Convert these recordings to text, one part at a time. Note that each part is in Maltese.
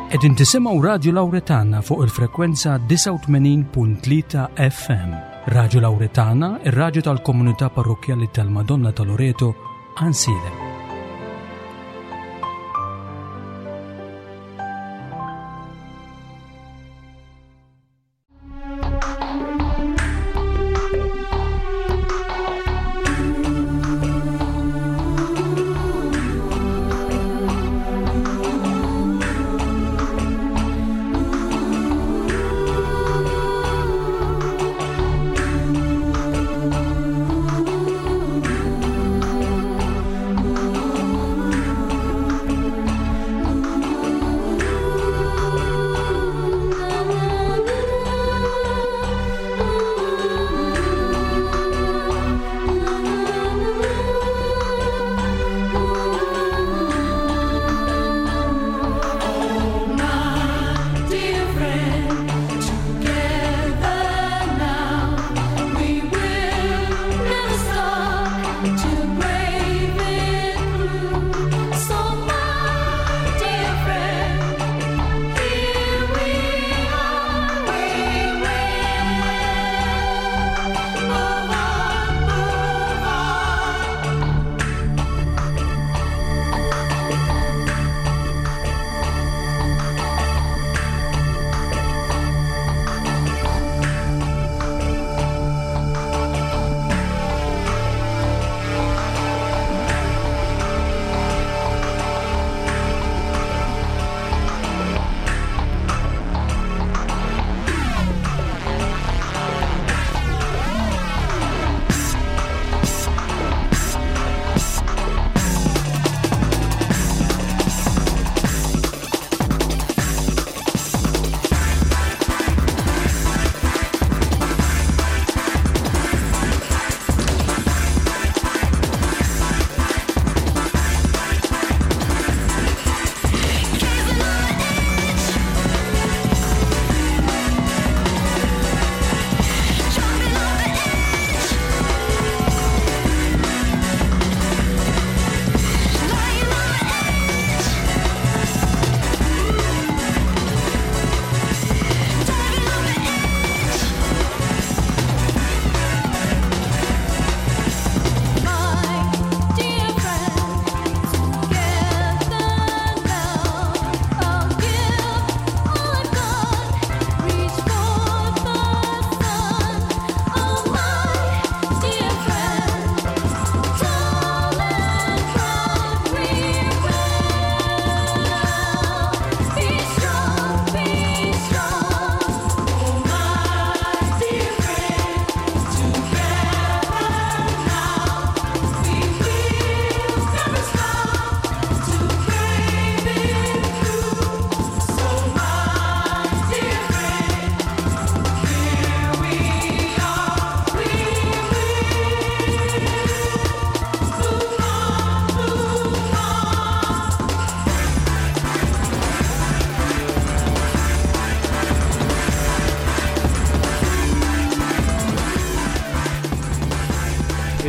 Qegħdin tisimgħu Radju Lawretana fuq il-frekwenza 89.3 FM. Radju Lawretana, ir-radju tal-komunità parrokkjali tal-Madonna ta' Loreto, Ansilem.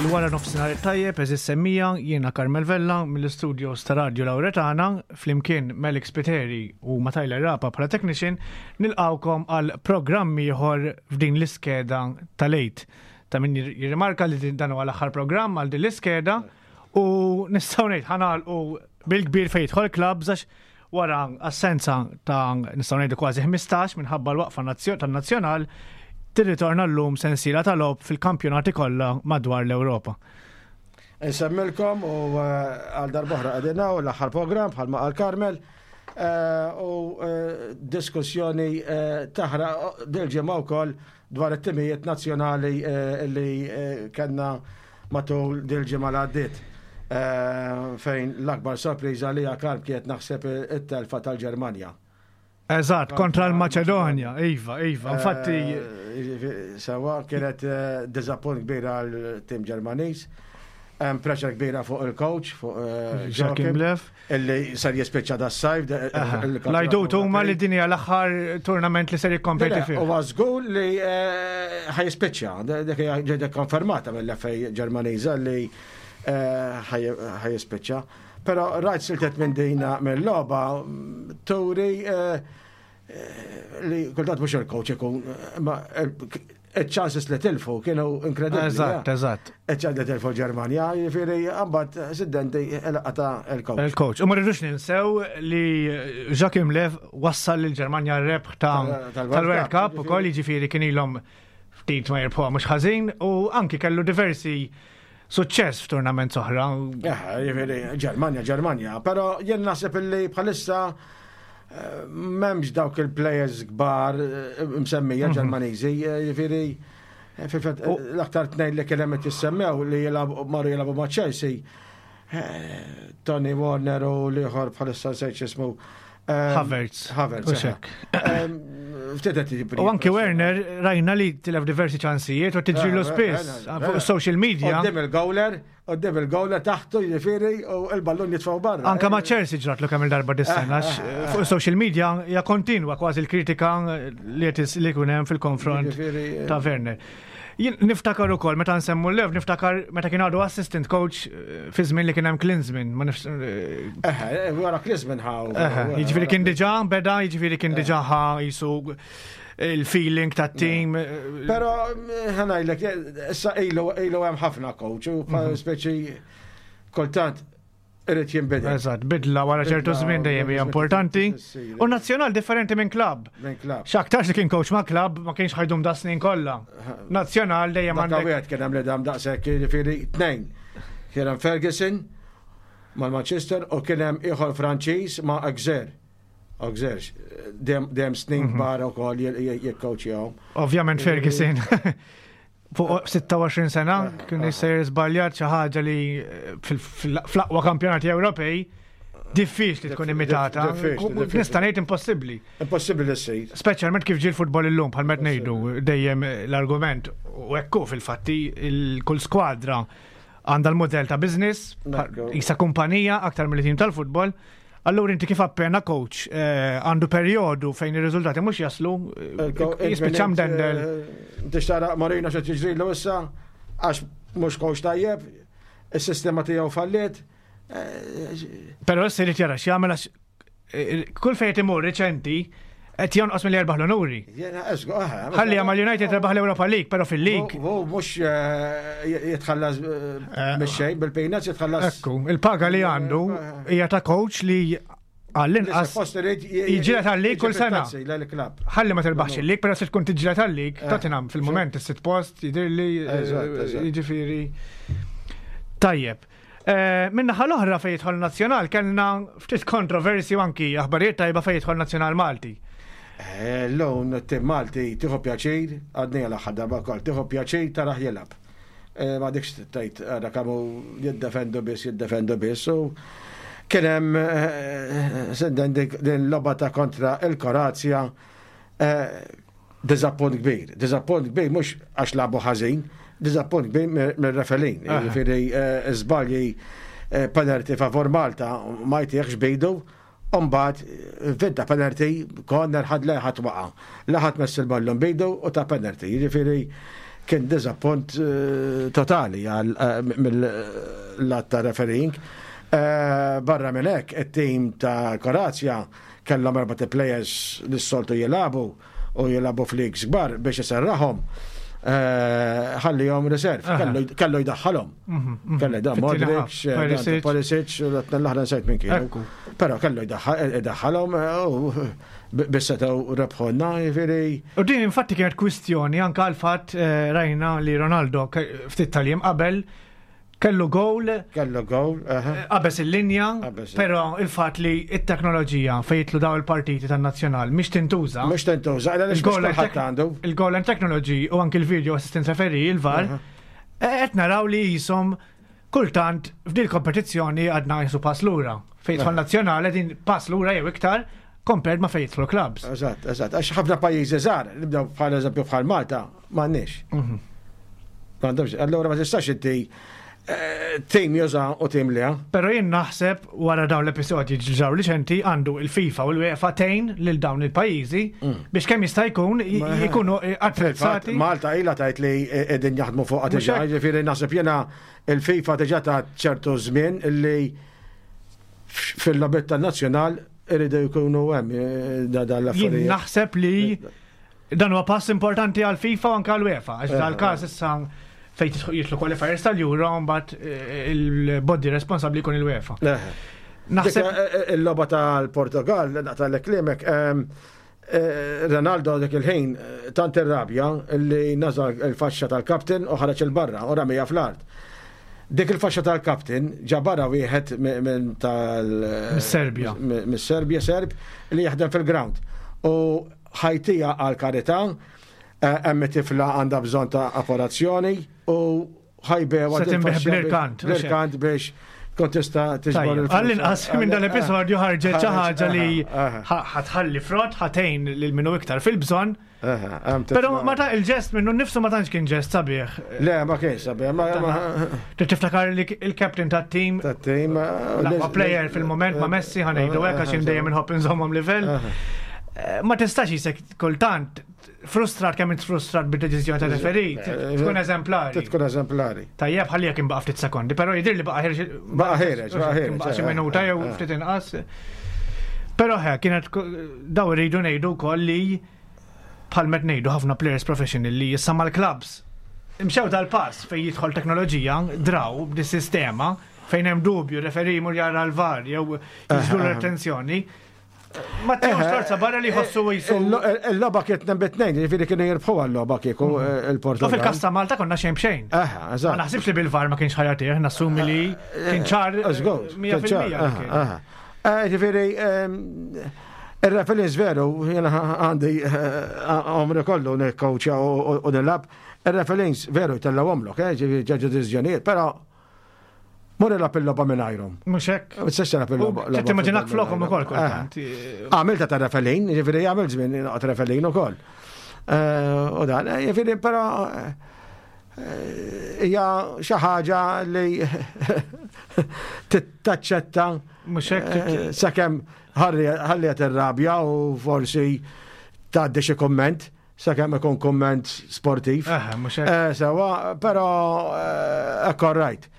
Il-wara nofsinhar tajjeb eżis semmija jiena Carmel Vella mill-istudios ta' Radio Lauretana flimkien Melik Spiteri u ma' Tyler Rapa bħala technician nilqawkom għal programm ieħor f'din l-iskeda tal-għid. Ta' min jirrimarka li dan huwa l-aħħar programm għal din l-iskeda u nistgħu ngħid ħanalqu bil-kbir fejn jidħol clubs għax wara assenza ta' nistgħu ngħidu kważi 15 minħabba l-waqfa tan-nazzjonal tirritorna llum sensiela ta' logħob fil-kampjonati kollha madwar l-Ewropa. Insemmilkom u eh, għal darbohra qegħdin u l-aħħar programm bħalma qal Karmel eh, u eh, diskussjoni taħraq dil-ġimgħa wkoll dwar it-timijiet nazzjonali li kellna matul dil-ġimgħa li għaddiet fejn l-akbar sorpriża li Karm kienet naħseb it-telfa tal-Ġermanja. Eżatt, kontra l-Maċedonja, iva, iva, infatti. Sewa kienet diżappunt kbir għal tim Ġermaniż. Hemm pressure kbira fuq il-coach, fuq Joachim Löw. Illi ser jispiċċa das-sajf. L-għajdut huma li din hija l-aħħar tournament li ser jikkompeti fih. Huwa żgur li ħa jispiċċa, dik hija ġiet konfermata mill-FA Ġermaniża li. ħa jispiċċa. Però rajt siltet minn dina mill-logħba turi li kultant mhux il-coach ikun ma il-chances li tilfu kienu inkredibbli. Eżatt, eżatt. Il-ċans li tilfu Ġermanja, jiġifieri mbagħad siddenti il-qata il-coach. Il-coach. U ma rridux ninsew li Joachim Löw wassal lil Ġermanja r-rebħ tal-World Cup ukoll jiġifieri kien ilhom ftit ma jirbħuha mhux ħażin u anki kellu diversi suċċess f'turnament oħra. Jiġifieri Ġermanja, Ġermanja, però jien naħseb illi bħalissa eh, m'hemmx dawk il-players kbar eh, msemmija Ġermaniżi, eh, jiġifieri fil-fatt l-aktar tnejn li kien hemm qed jissemmew li jilagħbu marru jilagħbu ma' Chelsea. Tony Warner u l-ieħor bħalissa nsejt x'ismu. Havertz. Havertz. U xek. Ftit qed jibri. U anki Werner rajna li tilef diversi ċansijiet u tiġrilu spiss fuq social media. Qoddim il-gowler, qoddim il-gowler taħtu jiġifieri u l-ballun jitfgħu barra. Anka ma' Chelsea ġratlu kemm il-darba dis-sena fuq social media hija kontinwa kważi l-kritika li qed li jkun hemm fil-konfront ta' Werner. Jien niftakar ukoll meta nsemmu Löw, niftakar meta kien għadu assistant coach eh, fi żmien li kien hemm Klinsmann, ma nifs. Eh, eh, wara Klinsmann ħaw. Jiġifieri kien diġà beda, jiġifieri kien diġà ħa jisu il-feeling ta' team. Però ħanajlek, issa ilu ilu hemm ħafna coach u mhm. speċi kultant irid jinbidel. Eżatt, bidla wara ċertu żmien dejjem hija importanti. U nazzjonal differenti minn klabb. Minn klabb. X'aktarx li kien coach ma' klabb ma kienx ħajdum da snin kollha. Nazzjonal dejjem għandek. Wieħed kien hemm li dam daqshekk jiġifieri tnejn. Kien hemm Ferguson mal-Manchester u kien hemm ieħor Franċiż ma' Auxerre. Auxerre, dejjem snin mhm. kbar ukoll jikkowċjahom. Ovvjament Ferguson. Fuq 26 sena kien jista' żbaljat xi ħaġa li eh, fl-aqwa kampjonati Ewropej diffiċli tkun imitata. Nista' ngħid impossibbli. Impossibbli li ssir. Speċjalment kif ġie l-futbol illum bħal meta ngħidu dejjem l-argument u hekk hu fil-fatti kull skwadra għandha l-modell ta' business, jisa kumpanija aktar mill-tim tal-futbol. Allura inti kif appena coach eh, għandu perjodu fejn ir-riżultati mhux jaslu, eh, jispiċċa mdendel. Eh, Tixtara Marino xi tiġrilu issa għax mhux coach tajjeb, is-sistema tiegħu falliet. Però issa jrid jara x'jagħmel għax kull fejn imur riċenti qed jonqos milli jerbaħ l-onuri. Ħalli għamal United rebaħ l-Europa League, però fil-League. U mhux eh, jitħallas eh, eh, mix-xejn bil-peanuts jitħallas. Ekku, il-paga li għandu hija ta' coach li għall-inqas jiġġieled għal-lig kull sena. Ħalli ma terbaħx il-lig, però se tkun tiġġieled għal-lig, Tottenham fil-moment is-sitt post jidhirli jiġifieri. Tajjeb. Eh, Minnaħa l-oħra fejn jidħol nazzjonal kellna ftit kontroversi u anki aħbarijiet tajba fejn jidħol nazzjonal Malti. Eh, l-lum tim Malti tieħu pjaċir, għadni għal aħħar darba wkoll, tieħu pjaċir taraħ jilgħab. Eh, ma dikx tgħid ara kemm jiddefendu biss, jiddefendu biss. U kien hemm senden din logħba ta' kontra il-Kroazja Diżappunt kbir. Diżappunt kbir mhux għax lagħbu ħażin, diżappunt kbir mir-referin. Jiġifieri eh, żbalji eh, penalty favor Malta ma jtieħx bidu, Umbagħad eh, vinta penalty, corner ħad leħat waqa. Laħat mess il-ballun bidu u ta' penalty. Jiġifieri kien diżappunt totali mill-lat ta' refereeing. Barra minn hekk, it-tim ta' Kroazja Kellhom erbat players li s-soltu jilagħbu u jilagħbu f'leagues kbar biex iserraħhom. Eh, ħallihom reserve, kellu jdaħħalhom. Mhm, mhm. Kellu jdaħħalhom Modric, eh, Perisic, l-aħra nsejt minn kienu. Però kellu jdaħħalhom eh, u biex setgħu rebħonna, jiġifieri. U din infatti kienet kwistjoni anke għal fatt rajna li Ronaldo ftit tal-jiem qabel Kellu gowl. Kellu gowl, eh, Qabeż il-linja, però il-fatt li t-teknoloġija fejn jitlu daw il-partiti tan-nazzjonal mhix tintuża. Mhix tintuża, għaliex kulħadd għandu. Il-goal line technology u anki l-video assistant referee, il-VAR, eh, qed naraw li jisom kultant f'dil kompetizzjoni għadna jisu pass lura. Fejn jidħol nazzjonali din pass lura jew iktar compared ma fejn jidħlu clubs. Eżatt, eżatt. Għax ħafna pajjiżi żgħar, nibdew bħal eżempju bħal Malta, m'għandniex. Mhm. M'għandhomx. Allura ma tistax inti Tim juża u tim le. Pero jien naħseb wara dawn l-episodji ġraw riċenti għandu il-FIFA u l-UEFA tgħin lil dawn il-pajjiżi biex kemm jista' jkun jkunu attrezzati. Malta ilha tgħid li qegħdin jaħdmu fuqha diġà, jiġifieri naħseb jiena il-FIFA diġà ta' ċertu żmien li fil-logħbiet tan-nazzjonal iridu jkunu hemm eh, dan l-affarijiet. Jien naħseb li Dan huwa pass importanti għal FIFA u anke għal UEFA, għax dal-każ issa fejn jitlu qualifiers tal-Euro mbagħad eh, il-body responsabbli jkun il-UEFA. Naħseb eh, eh, il-logħba tal-Portugal, naqta' l-klimek, ehm, Ronaldo dik il-ħin tant irrabja li nażal il-faxxa tal-kaptin u ħareġ il-barra u ramija fl-art. Dik il-faxxa tal-kaptin ġabarha wieħed minn tal Mis-Serbja. Mis-Serbja Serb li jaħdem fil-ground. U ħajtija għall-karità, hemm tifla għandha bżonn ta' operazzjoni u ħajbewa. Se tinbih bl-irkant. Bl-irkant biex tkun tista' tiġbor il Għall-inqas minn dan l-episodju ħarġet xi ħaġa li ħatħalli frott, ħatejn lil minnu iktar fil-bżonn. Pero ma ta' il-ġest minnu nifsu ma tantx kien ġest sabiħ. Le, ma kien sabiħ. Trid tiftakar li il-captain tat-team. Tat-team. L-aqwa player fil-moment ma' Messi ħanejdu hekk għax dejjem inħobb inżommhom livell. Ma tistax jisek kultant frustrat kemm int frustrat bid-deċiżjoni ta' referee, tkun eżemplari. Tkun eżemplari. Tajjeb ħalli jekk imbaqa' ftit sekondi, però jidher li baqa' ħireġ. Baqa' ħireġ, baqa' ħireġ. Baqa' xi minuta jew ftit inqas. Però ħe, kienet daw irridu ngħidu wkoll li bħal met ngħidu ħafna players professional li issa mal-clubs imxew dal-pass fejn jidħol teknoloġija, draw b'dis-sistema fejn hemm dubju referi jmur jara l-VAR jew jiġbdu l-attenzjoni. Ma tkunx torza barra li jħossu jisu. Il-logħba kienet tnejn bi tnejn, jiġifieri kienu jirbħu għal-logħba kieku il-Portugal. U fil-każ ta' Malta konna xejn b'xejn. Ma naħsibx li bil-VAR ma kienx ħajatih, nassumi li kien ċar. 100%. Ġifieri, ir-referees veru, jiena għandi għomri kollu nikkowċja u nilgħab, ir-referees veru jtellgħuhomlok, ġifieri ġeġu deċiżjonijiet, però mur ilgħab il-logħba mingħajrhom. Mhux hekk. Ma tistax tilgħab il-logħba. Trid timmaġinak flokhom ukoll kultant. Għamilta ta' referee, ġifieri għamilt żmien noqgħod referee ukoll. U dan, ġifieri però hija xi ħaġa li taċċetta Mhux hekk. Eh, sakemm ħalli qed irrabja u forsi tgħaddi xi kumment sakemm ikun kumment sportiv. Mhux hekk. Eh, sewa, però eh, hekk right.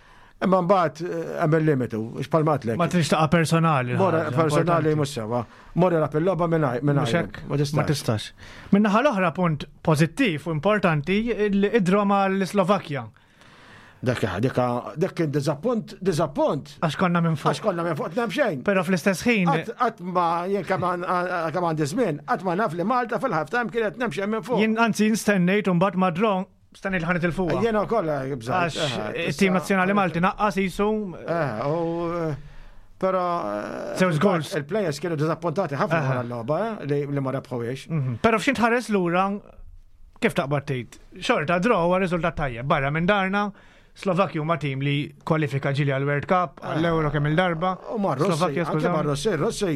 Imma mbagħad hemm il-limitu, x'palmatlek. Ma trix taqa' personali. Mora personali mhux sewa. Mora lab il-logħba mingħajr. Mhux hekk. Ma tistax. Min-naħa l-oħra punt pożittiv u importanti id-draw mal-Slovakkja. Dak dak dak kien diżappunt, diżappunt. Għax konna minn fuq. Għax konna minn fuq tnem xejn. Però fl-istess ħin. Qatt ma jien kemm għandi żmien, qatt ma naf li Malta fil-half time kienet tnem xejn minn fuq. Jien anzi nstennejt u mbagħad ma draw stennejt li ħanet il-fuq. Jiena wkoll bżajt. Għax it-tim nazzjonali Malti naqqas jisu. Però Żewġ goals. Il-players kienu diżappuntati ħafna wara l-logħba li ma rebħuhiex. Però f'xi tħares lura Kif taqbad tgħid? Xorta draw huwa riżultat tajjeb. Barra minn darna, Slovakki huma tim li kwalifika ġili għal World Cup, għall-Euro kemm il-darba. U ma Russi, anke ma Russi, Russi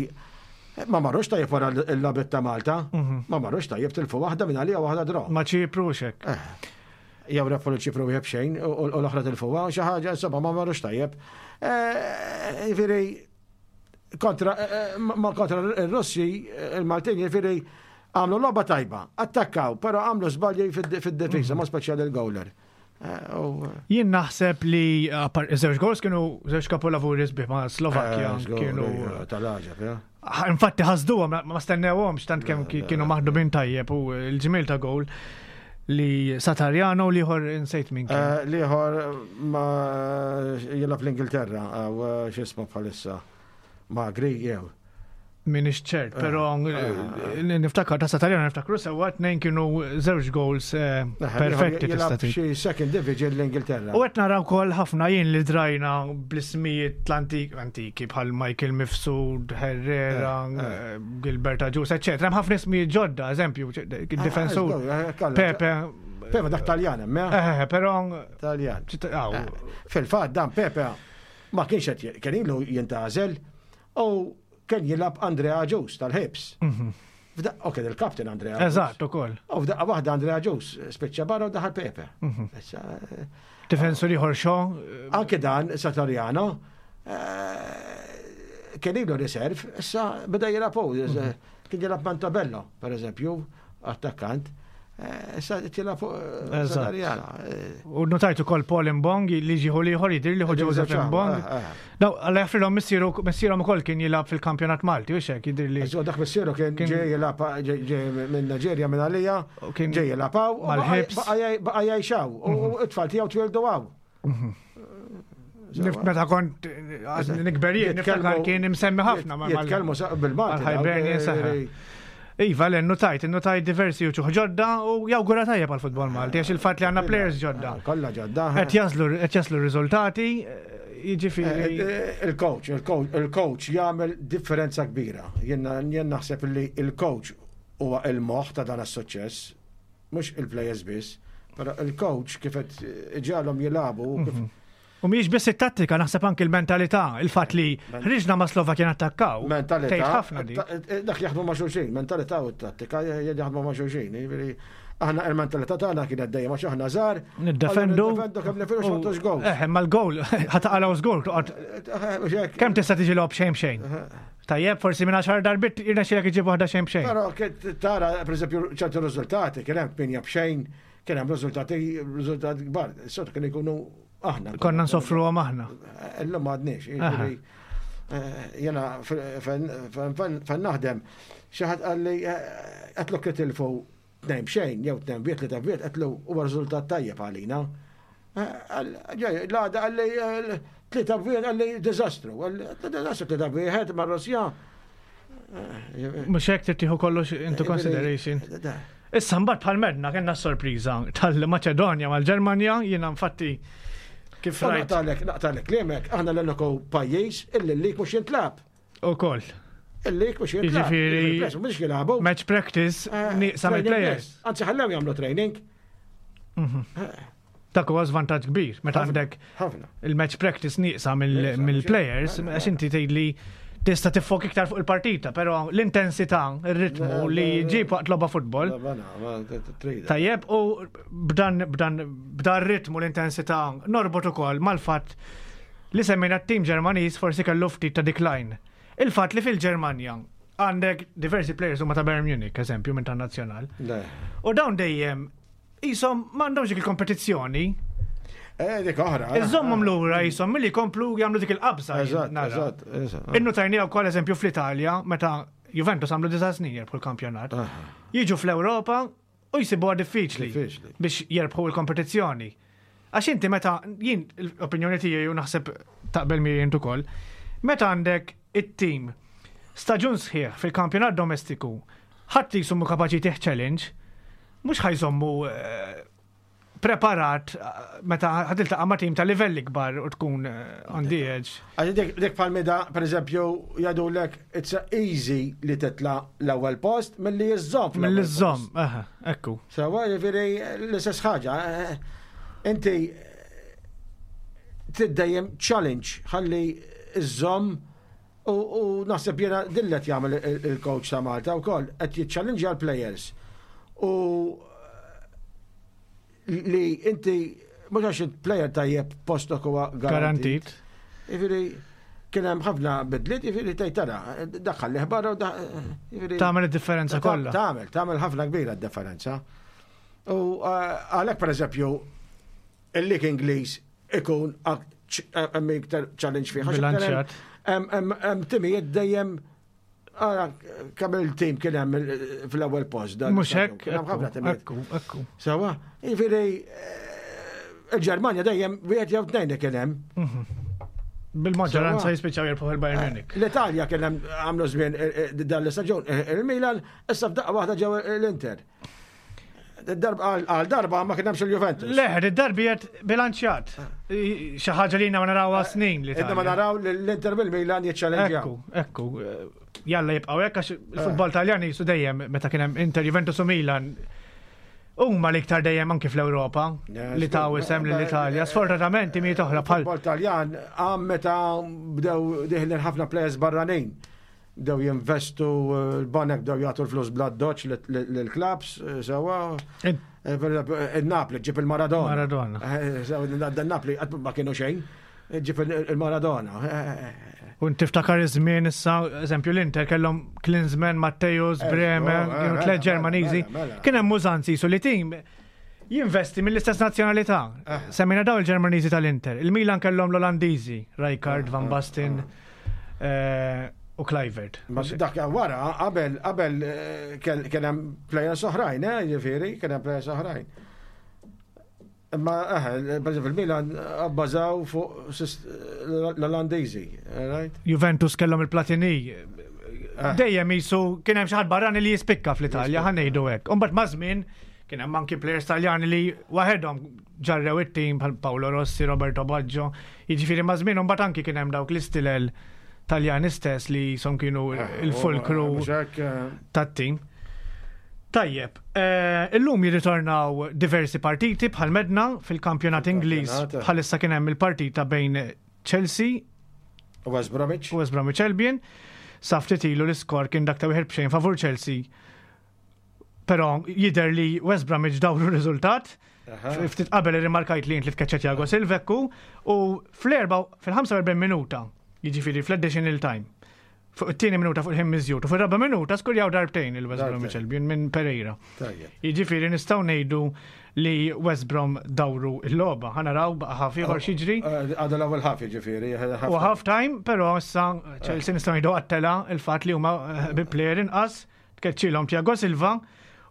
ma marrux tajjeb wara l-logħbiet ta' Malta, mhm. ma marrux tajjeb tilfu waħda minn għalija waħda draw. Ma Ċipru xek. Eh. Jew rebħu l ċipru wieħed xejn u l-oħra tilfuha, xi ħaġa insomma ma marrux tajjeb. Eh, jiġifieri kontra eh, eh, ma kontra il-Russi, il-Maltin, jiġifieri għamlu logħba tajba, attakkaw, però għamlu żbalji fid-difiża, ma speċjali il-gowler. Eh, Jien naħseb li żewġ goals kienu żewġ kapolavuri sbieħ ma' Slovakkja kienu. Tal-għaġeb, Infatti ħasduhom ma stennewhomx tant kemm kienu maħdubin tajjeb u l-ġmiel ta' goal li Satarjano u liħor insejt minn kien. Eh, liħor ma jilab l-Ingilterra, eh, xismu bħalissa. Magri jew. Minix ċert, eh, pero niftakar ta' Satarjano niftakru sewa tnejn kienu żewġ goals perfetti tista' tgħid. Xi second division l-Ingilterra. U qed naraw ukoll ħafna jien li drajna bl-ismijiet l-antik antiki bħal Michael Mifsud, Herrera, Gilbert Agius, eccetera. Hemm ħafna ismijiet ġodda, eżempju, difensur. Pepe. Pepe dak Taljan hemm, eh? Però Taljan. Fil-fatt dan Pepe ma kienx qed kien ilu jintgħażel u kien jilgħab Andrea Agius tal-Ħibs. Mhm. U kien il-kapten Andrea. Eżatt, ukoll. U f'daqqa waħda Andrea Ġus spiċċa barra u daħal Pepe. Mhm. Eh, Difensur ieħor xo. Eh, Anke dan Satoriano eh, kien ilu riserv, issa beda jilgħab mhm. kien jilgħab Mantabello, per eżempju, attakkant. Eh, issa tilab fuq eh, Satarjana. Eh. U notajt ukoll Paul Mbong li ġieħu liħor jidir li Joseph Mbong. Daw, għalla jaffrilhom missieru missierhom ukoll kien jilgħab fil-kampjonat Malti u xek jidir li. Dak missieru kien ġej jilgħab minn Niġerja minn għalija, ġej jilgħab mal-ħibs. Baqa' jgħixaw u mhm. t-tfal tiegħu twildu għaw. Mhm. Meta kont nikber jien, niftakar kien imsemmi ħafna. Jitkellmu bil-Malti. Iva, l notajt, notajt diversi uċuħ ġodda u jawgura tajjeb għal futbol Malti, għax il-fat li għanna players ġodda. Ah, kollha ġodda. Qed jaslu qed jaslu riżultati, jiġifieri. Eh, eh, il-coach, il-coach jagħmel differenza kbira. Jien naħseb li il-coach huwa il-moħħ ta' dan is-suċċess. Mhux il-players biss, però il-coach kif qed iġagħalhom jilagħbu kif mhm. U mhijiex biss it-tattika, naħseb anki l-mentalità, il-fatt li ħriġna ma' Slovakkja nattakkaw. Mentalità. ħafna di. Eh, dak jaħdmu ma' xulxin, mentalità u t-tattika jaħdmu ma' xulxin. Jiġifieri, aħna il-mentalità tagħna kienet dejjem għax aħna żgħar. Niddefendu. Niddefendu kemm nifilux ma tux gowl. Eh, ma l-gowl, ħataqalgħu żgur toqgħod. Eh, eh, kemm tista' tiġi logħob xejn xejn. Tajjeb, forsi minn għaxar darbit jirnexxilek iġib waħda xejn b'xejn. Però tara, pereżempju, ċertu riżultati, kien hemm tminja b'xejn, kien hemm riżultati riżultati kbar. Sot kien ikunu aħna. Konna nsofruhom aħna. Illum m'għadniex. Eh, jena fejn naħdem, xi ħadd qalli eh, qed lok titilfu tnejn b'xejn jew tnejn b'wieħed tlieta b'wieħed qedlu huwa riżultat tajjeb għalina. L-għada qalli tlieta b'wieħed qalli diżastru. Diżastru tlieta b'wieħed mar-Russja. Mhux hekk trid tieħu kollox into consideration. Issa mbagħad bħal medna kellna sorpriża tal-Maċedonja mal-Ġermanja, jiena infatti kif rajt. Naqtalek kliemek, aħna l-uniku pajjiż illi l-lik mhux jintlab. Ukoll. Il-lik mhux jintlab. Jiġifieri. Mhux jilagħbu. Match practice eh, nieqsa mill-players. Anzi ħallew jagħmlu training. Mhm. Eh. Dak huwa żvantaġġ kbir meta għandek il-match practice nieqsa mill-players eh, għax inti tgħidli tista' tiffok iktar fuq il-partita, però l-intensità, ir-ritmu li ġib waqt logħba futbol. Tajjeb, u b'dan b'dan b'dan ritmu l-intensità norbot ukoll mal-fatt Li semmejna t-tim Ġermaniż forsi kellu ftit ta' decline. Il-fatt li fil-Ġermanja għandek diversi players huma ta' Bayern Munich, eżempju, minn tan-nazzjonal. U dawn dejjem jisom m'għandhomx dik il-kompetizzjoni. Eh, dik oħra. Eh. Iżommhom lura jisom milli jkomplu jagħmlu dik il-qabża. Eżatt, eżatt, eżatt. Innutajni wkoll eżempju fl-Italja meta Juventus għamlu disa' snin jirbħu l-kampjonat. Jiġu fl-Ewropa u jsibuha diffiċli biex jerbħu l-kompetizzjoni. Għax inti meta, jien l-opinjoni tiegħi u naħseb taqbel miegħi int ukoll, meta għandek it-tim staġun sħiħ fil-kampjonat domestiku ħadd li jisummu kapaċi tih challenge, mhux ħajżommu eh, preparat meta ħa tiltaqa' ma' tim ta' livell ikbar u tkun eh, on the edge. Għax dik bħal mida, per eżempju, jgħidulek it's easy li titla' l-ewwel post milli iżżomm. Milli iżżomm, aha, ekku. Sewa, jiġifieri l-istess ħaġa. Eh, inti trid dejjem challenge ħalli iżżomm u naħseb jiena din qed jagħmel il-coach ta' Malta wkoll qed jiċċallenġja l-players. U li inti mhux għax player tajjeb postok huwa garantit. Jiġifieri kien hemm ħafna bidliet, jiġifieri tgħid tara, daħħal li barra u jiġifieri Tagħmel id-differenza kollha. Tagħmel, tagħmel ħafna kbira d-differenza. U eh, għalhekk pereżempju il-lig Ingliż ikun hemm iktar challenge fih. Bilanċjat. Hemm timijiet dejjem Ara, kemm il-tim kien hemm fl-ewwel post. Mhux hekk. Hemm ħafna timijiet. Ekku, ekku. Sawa, jiġifieri eh, il-Ġermanja dejjem wieħed jew tnejn kien hemm. Mhm. Bil-maġġoranza jispiċċaw jirbħu il-Bayern eh, Munich. L-Italja kien hemm għamlu żmien eh, dan l-istaġun il-Milan, issa f'daqqa waħda ġew l-Inter. Għal darba ma kien hemmx il-Juventus. Le, id-darbi qed bilanċjat. Xi ħaġa li ma narawha eh, snin li. Idda ma naraw l-Inter bil-Milan jiċċallenġjaw. Ekku, ekku. Jalla jibqgħu hekk għax il-futbol eh. Taljan jisu dejjem meta kien hemm Inter Juventus u Milan huma l-iktar dejjem anki fl-Ewropa li taw isem lill-Italja. Sfortunatament timijiet oħra bħal. Futbol Taljan għam meta bdew diħlin ħafna players barranin. bdew jinvestu l-banek bdew jagħtu l-flus bla doċ lill-klabs, sewwa. Il-Napli ġib il-Maradona. Maradona. Dan Napli qatt ma kienu xejn, ġib il-Maradona. U tiftakar iż-żmien issa, eżempju l-Inter kellhom Klinsmann, Matthäus, Brehme, kienu tliet Ġermaniżi. Kien hemm użanzi su li tim jinvesti mill-istess nazzjonalità. Semmejna daw il-Ġermaniżi tal-Inter. Il-Milan kellhom l-Olandiżi, Rijkaard, Van Basten u Kluivert. Ma dak wara, qabel kien hemm players oħrajn, ġifieri, kien hemm players oħrajn. Imma per eżempju il-Milan abbażaw fuq l-Olandiżi, right? Juventus kellhom il-Platini. Dejjem jisu kien hemm xi ħadd barrani li jispikka fl-Italja, ħa ngħidu hekk. Imbagħad maż-żmien kien hemm anki players Taljani li waħedhom ġarrew it-tim bħal Paolo Rossi, Roberto Baggio. Jiġifieri maż-żmien imbagħad anki kien hemm dawk l-istilel Taljani stess li som kienu il-fulkru tat-tim. Tajjeb, illum jirritornaw diversi partiti bħal medna fil-kampjonat Ingliż bħalissa kien hemm il-partita bejn Chelsea West Bromwich. West Bromwich Albion. Sa ftit ilu l-iskor kien dak ta' 1-0 favur Chelsea. Però jidher li West Bromwich dawru r-riżultat. Ftit qabel irrimarkajt li int li tkeċċa Thiago Silva u fl-erba fil-45 minuta, jiġifieri fl-additional time, fuq it-tieni minuta fuq il-ħin miżjud u fir-raba' minuta skurjaw darbtejn il-West Bromwich Albion minn Pereira. Jiġifieri nistgħu ngħidu li West Brom dawru l-logħba. Ħa naraw baqa' ħaf ieħor x'jiġri. Għadu l-ewwel ħaf jiġifieri. U half time, però issa Chelsea nistgħu ngħidu għattela il-fatt li huma bi player inqas tkeċċilhom Thiago Silva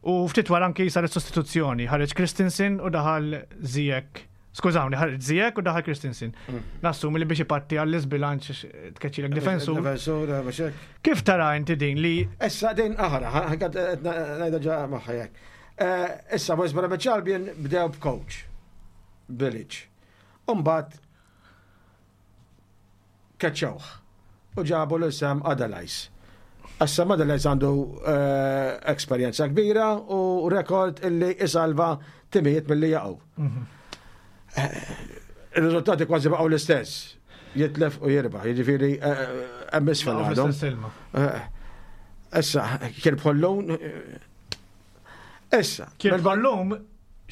u ftit wara anki saret sostituzzjoni. Ħareġ Christensen u daħal Ziyech. Skużawni, ħareġ Ziyech u daħal Christensen. Nassumi li biex ipatti għall-isbilanċ tkeċċilek difensur. Difensur, biex hekk. Kif tara inti din li Issa din aħra, ngħidha ġa magħha jekk. Issa West Bromwich Albion bdew b'coach, Bilic. Umbagħad keċċewh u ġabu lil Sam Allardyce. Issa Sam Allardyce għandu esperjenza kbira u rekord illi isalva timijiet milli jaqgħu. Il-riżultati kważi baqgħu l-istess. Jitlef u jirbaħ, jiġifieri hemm isfel għadhom. Issa, kien bħollum. Issa. Kien bħollum,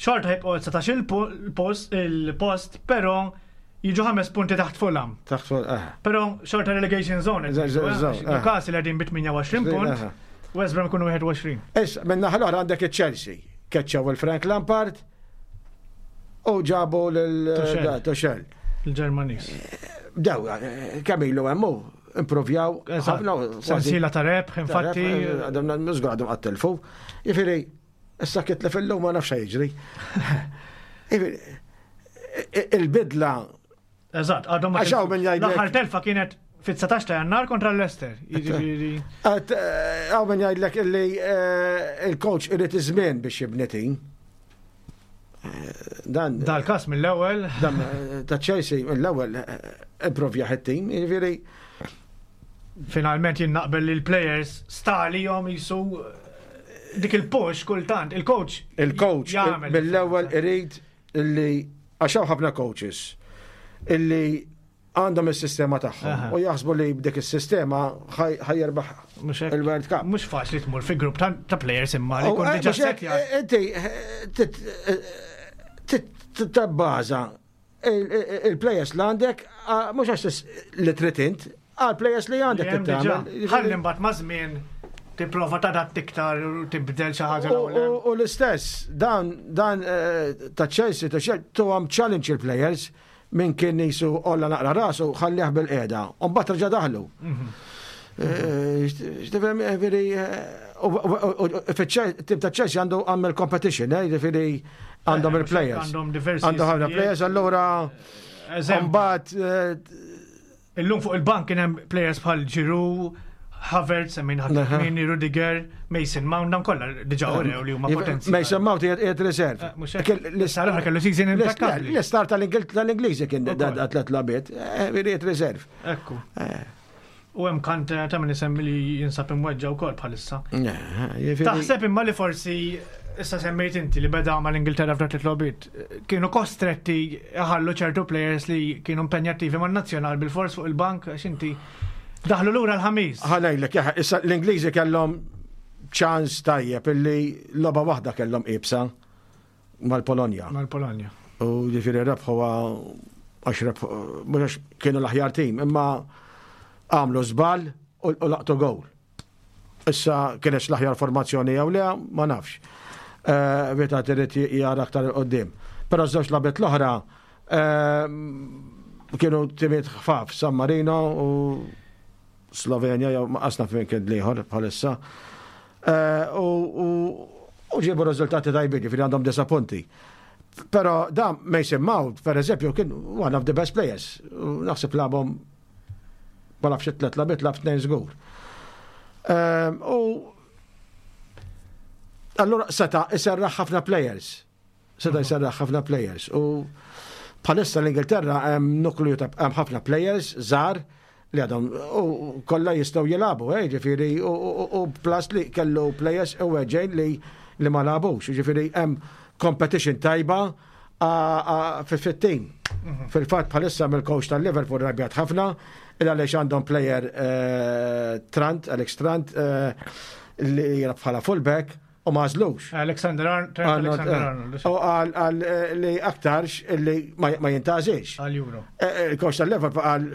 xorta jibqgħu 19 il-post, il-post, però jiġu 5 punti taħt Fulham. Taħt Fulham. Però xorta relegation zone. Newcastle qegħdin bi 28 punt, West Brom ikunu 21. Issa, minn naħa l-oħra għandek il-Chelsea. Keċċaw il-Frank Lampard u ġabu l-Tuchel. Il-Ġermaniż. Daw, kemm ilu hemm improvjaw. Ħafna. Sensiela ta' rebħ, infatti. Għadhom żgur għadhom għattelfu. Jiġifieri, issa kitlef illum ma nafx jiġri. Il-bidla. Eżatt, għadhom. Għaxaw minn jgħidlek. L-aħħar telfa kienet fit-19 ta' Jannar kontra l-Leicester. Jiġifieri. Hawn min jgħidlek illi il-coach irid iż-żmien biex jibni team. Dan. Dal-kas mill-ewwel. Dan ta' Chelsea mill-ewwel improvja it-team, jiġifieri. Finalment jien naqbel li l-players stali jom jisu dik il-push kultant, il-coach. Il-coach mill-ewwel irid illi għax hawn ħafna coaches illi għandhom is-sistema tagħhom u jaħsbu li b'dik is-sistema ħa jirbaħ il-World Cup. Mhux faċli tmur fi grupp ta' players imma li jkun diġà settjat. Inti tibbaża il-players li għandek mhux għax li trid int, għal players li għandek tagħmel. Ħalli mbagħad ma' żmien tipprova tadatt iktar u tibdel xi ħaġa. U l-istess, dan dan ta' Chelsea, ta' Chelsea, tuhom challenge il-players minn kien nisu olla naqra rasu ħallih bil-qeda. U mbagħad reġa' daħlu. X'tifhem veri tim ta' Chelsea għandu għamel competition, ġifieri għandhom il-players. Għandhom diversi. Għandhom ħafna players, allura mbagħad Illum fuq il-bank kien hemm players bħal Giroud, Havertz, min Hakimi, Rudiger, Mason Mount, dan kollha diġà urew li huma potenzjali. Mason Mount qiegħed reserve. L-istar kellu season impeccabli. L-istar tal-Ingliżi kien tlet logħbiet, qiegħed reserve. Ekku. U hemm Kante ta' min isemmi li jinsab imweġġa wkoll bħalissa. Taħseb imma li forsi issa semmejt inti li beda mal-Ingilterra f'dak li logħbiet kienu kostretti ħallu ċertu players li kienu impenjattivi man-nazzjonal bil-fors fuq il-bank għax inti Daħlu lura l-ħamis. Ħa ngħidlek, issa l-Ingliżi kellhom ċans tajjeb illi logħba waħda kellhom iebsa mal-Polonja. Mal-Polonja. U ġifieri rebħu għax rebħu, mhux għax kienu l-aħjar tim, imma għamlu żball u laqtu gowl. Issa kienet l-aħjar formazzjoni jew le, ma nafx. Eh, Vita trid jara aktar il-qoddim. Però żewġ labet l-oħra eh, kienu timiet ħfaf, San Marino u Slovenja jew ma qasna fejn kien l-ieħor bħalissa. Eh, u ġiebu riżultati tajbin, ġifieri għandhom disa punti. Però da Mason Mount, per eżempju, kien one of the best players. Naħseb labhom ma nafx it-tlet labit lab tnejn żgur. Ehm, u allura seta' iserraħ ħafna players. Seta' jserraħ ħafna players. U bħalissa l-Ingilterra hemm nukliju ta' hemm ħafna players żgħar li għadhom u kollha jistgħu jilagħbu, eh, ġifieri u plus li kellu players u weġġejn li li ma lagħbux, ġifieri hemm competition tajba fit-team. Mhm. Fil-fatt bħalissa mill-coach tal-Liverpool rabjat ħafna il għaliex għandhom player eh, Trant, Alex Trant, eh, li jilgħab bħala fullback u ma għażlux. Alexander Arnold. Alexander eh, Arnold. U għal eh, li aktarx li ma jintażilx. Għal Euro. Eh, il-coach tal-Liverpool għal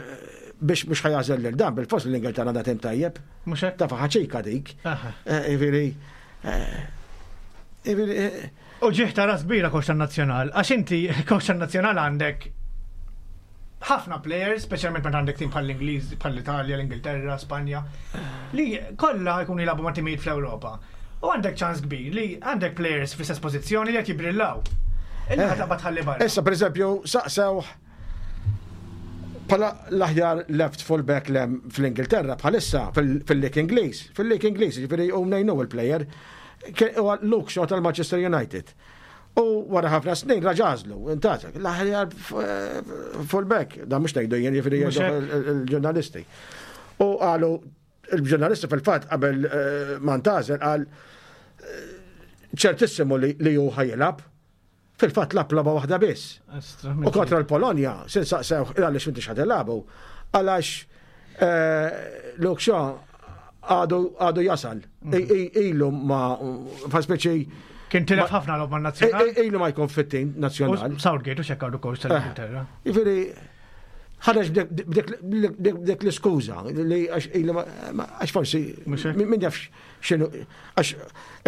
biex mhux ħajażel lil dan bil-fos l-Ingilterra għandha tim tajjeb. Mhux hekk. Ta' ħaċika dik. Jiġifieri. U ġieħ ta' ras kbira coach tan-nazzjonal, għax inti coach tan-nazzjonal għandek ħafna players, speċjalment meta għandek tim bħall-Ingliż, bħall-Italja, l-Ingilterra, Spanja, li kollha jkunu jilagħbu ma' timijiet fl-Ewropa. U għandek ċans kbir li għandek players fl-istess pożizzjoni li qed jibrillaw. Illi ħa taqbad tħalli barra. Issa pereżempju saqsew bħala l-aħjar left full-back lem fl-Ingilterra bħalissa fil-Lig Ingliż, fil-Lig Ingliż, ġifieri u ngħinu il-player, huwa Luke Shaw tal-Manchester United. U wara ħafna snin raġa' għażlu, intgħażel, l-aħjar fullback, dan mhux ngħidu jien jiġifieri il-ġurnalisti. U qalu il-ġurnalisti fil-fatt qabel eh, ma ntgħażel qal eh, ċertissimu li hu ħajilab. Fil-fatt lab logħba waħda biss. U kontra l-Polonja, sin saqsew għaliex m'intix ħad għalax eh, Luke Shaw għadu jasal. Mhm. Ilu ma, fa' speċi. Kien tilef ħafna logħba nazzjonali. Ilu ma jkun fit-tim nazzjonali. Southgate u xekk għadu coach tal-Ingilterra. Eh, jiġifieri ħareġ b'dik l-iskuża li għax forsi min jafx x'inhu għax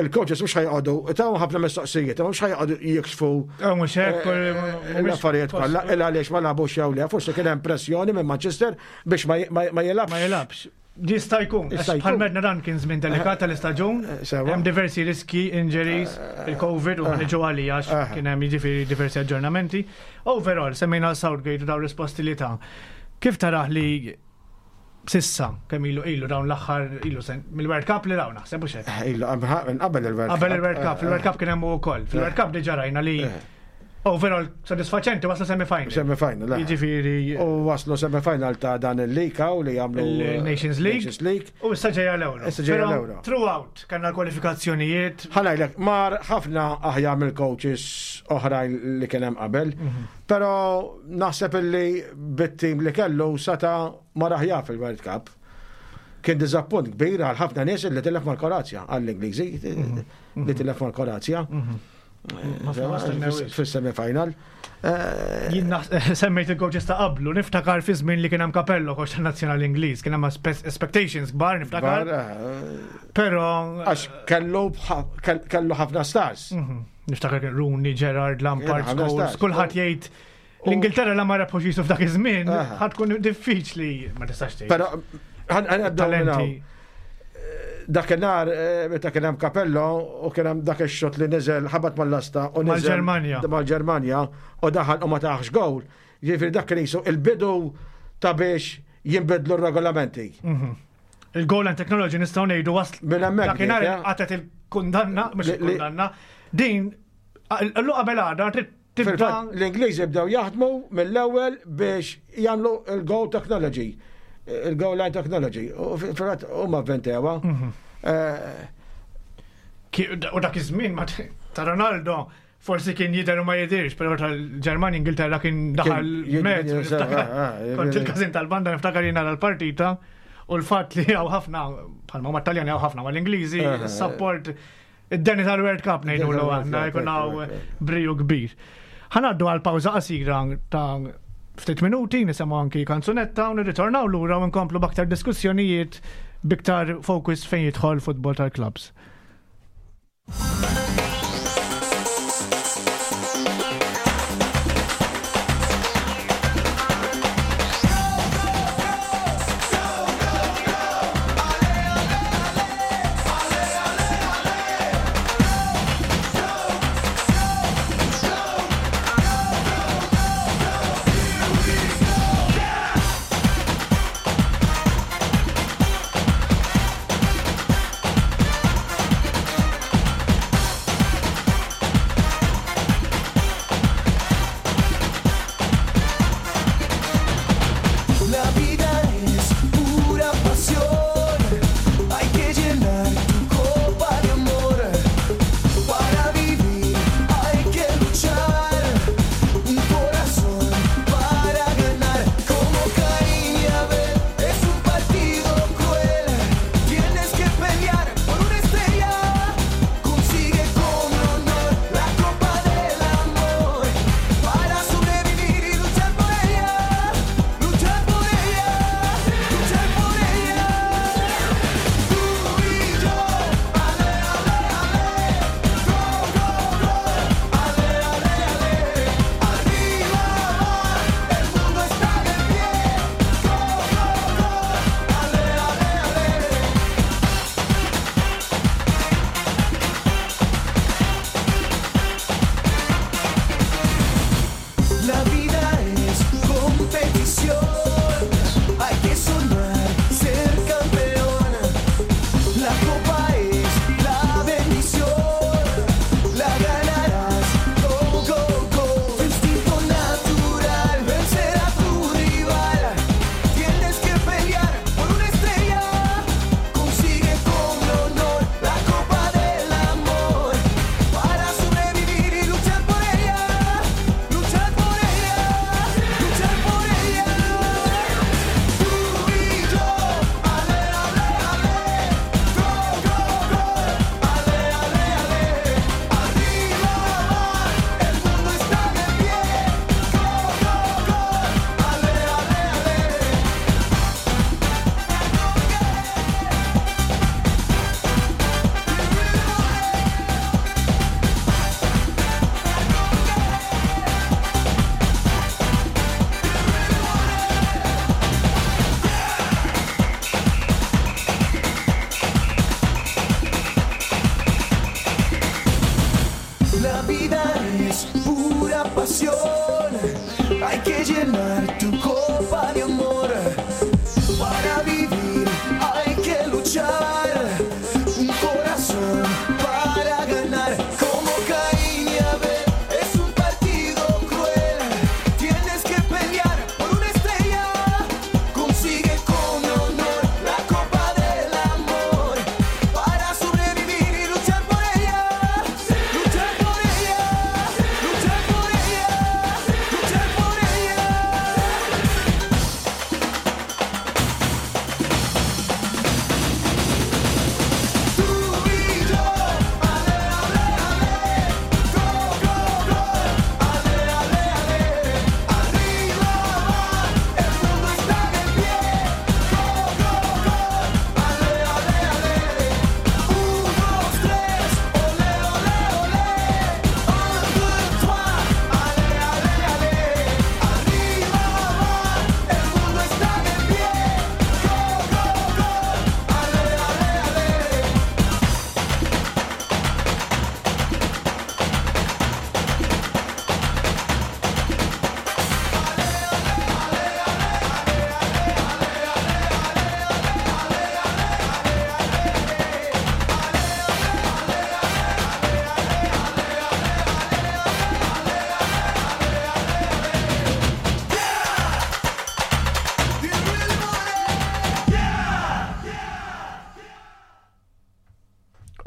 il-coaches mhux ħajqogħdu taw ħafna mistoqsijiet, mhux ħajqogħdu jikxfu eh, mhux hekk eh, eh, l-affarijiet kollha il għaliex ma lagħbux jew le, forsi kien hemm pressjoni minn Manchester biex ma jilgħabx. Ma jilgħabx. Jista' jkun, bħal medna dan kien żmien delikat tal-istaġun, hemm diversi riski, injuries, il-Covid u ħaniġu għalija għax kien hemm jiġifieri diversi aġġornamenti. Overall, semmejna Southgate u dawn risposti li ta'. Kif taraħ li Sissa, kemm ilu ilu dawn l-aħħar ilu sen mill-World Cup li dawn naħseb u xek. Eh, ilu qabel il-World Cup. Qabel il-World Cup, fil-World Cup kien hemm ukoll. Fil-World Cup diġà rajna li eh. overall sodisfaċenti waslu semi-final. Semi-final, Jiġifieri. U waslu semi-final ta' dan il-League u li jagħmlu Nations League. Nations League. U issa ġejja l-Euro. Issa ġejja l-Euro. Throughout kellna l-kwalifikazzjonijiet. Ħalajlek, mar ħafna aħjar mill-coaches oħrajn li kien hemm qabel. Mhm. Però naħseb illi bit-tim li kellu seta' mar aħjar fil-World Cup. Kien diżappunt kbir għal ħafna nies li tilef mal-Kroazja, għall-Ingliżi mhm. li tilef mal-Kroazja. Mhm. Fis-semi-final. Eh, Jien semmejt il-coaches ta' qablu, niftakar fi żmien li kien hemm Capello coach tan-nazzjonali Ingliż, kien hemm expectations kbar niftakar. Eh, Però għax kellu kellu ħafna stars. Mhm. Niftakar kien Rooney, Gerrard, Lampard, Scholes, kulħadd jgħid l-Ingilterra la ma rebħux jisu f'dak iż-żmien, ħad tkun diffiċli ma tistax tgħid. Però talenti. Dakinhar eh, meta kien hemm Capello u kien hemm dak ix-xot li niżel ħabat mal-lasta u niżel mal-Ġermanja. Mal-Ġermanja u daħal u ma taħx gowl. Jiġifieri dak kien jisu il-bidu ta' biex jinbidlu r-regolamenti. Mhm. Il-goal and technology nistgħu ngħidu wasl. Minn hemmhekk. Dakinhar eh? qatet il-kundanna, mhux il-kundanna. Din l qabel għada trid tibda. L-Ingliżi bdew jaħdmu mill-ewwel biex jagħmlu il-goal technology, il-goal line technology. U fil-fatt huma avventewha. Mhm. Eh, u dak iż-żmien ta' Ronaldo Forsi kien jidher u ma jidhirx, però tal-Ġermanja Ingilterra kien daħal mezz. Eh, eh, eh, Kont il-każin tal-banda niftakar jien nara l-partita. U l-fatt li hawn ħafna bħalma huma Taljani hawn ħafna mal-Ingliżi, support id-deni tal-World Cup ngħidu l aħna jkun hawn briju kbir. Ħanaddu għal pawża qasira ta' ftit minuti, nisimgħu anki kanzunetta u nirritornaw lura u nkomplu b'aktar diskussjonijiet biktar focus fejn jidħol futbol tal-clubs.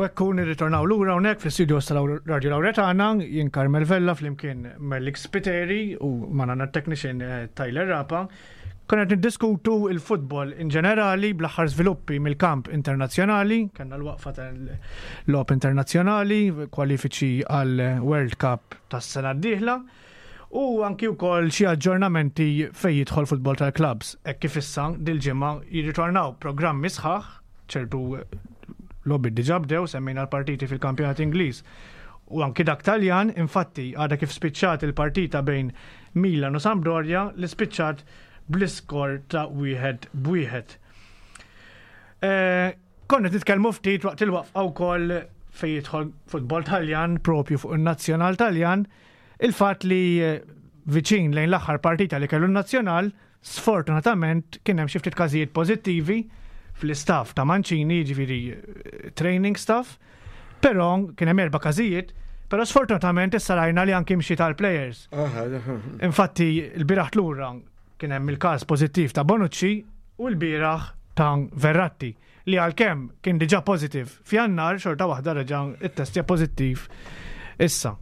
U hekk nirritornaw lura hawnhekk fl-istudios tal-Radio Lauretana, jien Carmel Vella flimkien Merlik Spiteri u manana technician eh, Tyler Rapa. Konna qed niddiskutu il-futbol in ġenerali bl-aħħar żviluppi mill-kamp internazzjonali, kellna l-waqfa tal-logħob internazzjonali, kwalifiċi għal World Cup tas-sena d-dieħla u anki wkoll xi aġġornamenti fejn jidħol futbol tal-clubs. Hekk kif issa dil-ġimgħa jirritornaw programmi sħaħ, ċertu logħbiet diġà bdew, semmejna l-partiti fil-kampjonat Ingliż u anki dak Taljan, infatti għadha kif spiċċat il-partita bejn Milan u Sampdoria li spiċċat bl-iskor ta' wieħed b'wieħed. Eh, konna titkellmu ftit waqt il-waqfa wkoll fejn jidħol futbol Taljan propju fuq in-nazzjonal Taljan, il-fatt li eh, viċin lejn l-aħħar partita li kellu n-nazzjonal, sfortunatament kien hemm xi ftit każijiet pożittivi fl-istaff ta' Mancini, jiġifieri eh, training staff, Però kien hemm erba' każijiet, però sfortunatament issa rajna li anki mxi tal-players. Infatti l-bieraħ lura kien hemm il-każ pożittiv ta' Bonucci u l-bieraħ ta' Verratti li għalkemm kien diġà pożittiv f'Jannar xorta waħda reġa' ittestja pożittiv issa.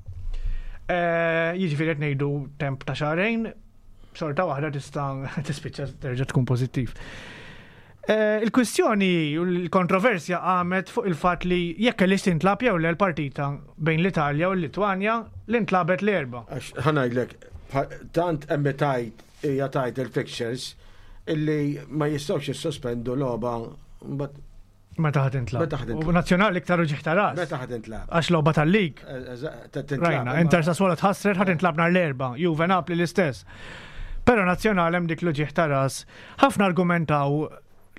Eh, jiġifieri qed ngħidu temp ta' xahrejn, xorta waħda tista' tispiċċa terġa' tkun pożittiv. Eh, il-kwistjoni u l-kontroversja qamet fuq il-fatt li jekk kellix tintlab jew le l-partita bejn l-Italja u l-Litwanja li ntlabet l-erba. Għax ħanajdlek, tant hemm tajt hija tajt il-fixtures illi ma jistgħux jissospendu logħba Meta ħad intlab. Meta ħad intlab. U nazzjonali iktar uġigħ ta' ras. Meta ħad intlab. Għax logħba tal-lig. Eh, Rajna, Inter Sassuolo tħassret ħad intlab nhar l-erba, Juve Napli l-istess. Però nazzjonali hemm dik l-uġigħ ta' ras. Ħafna argumentaw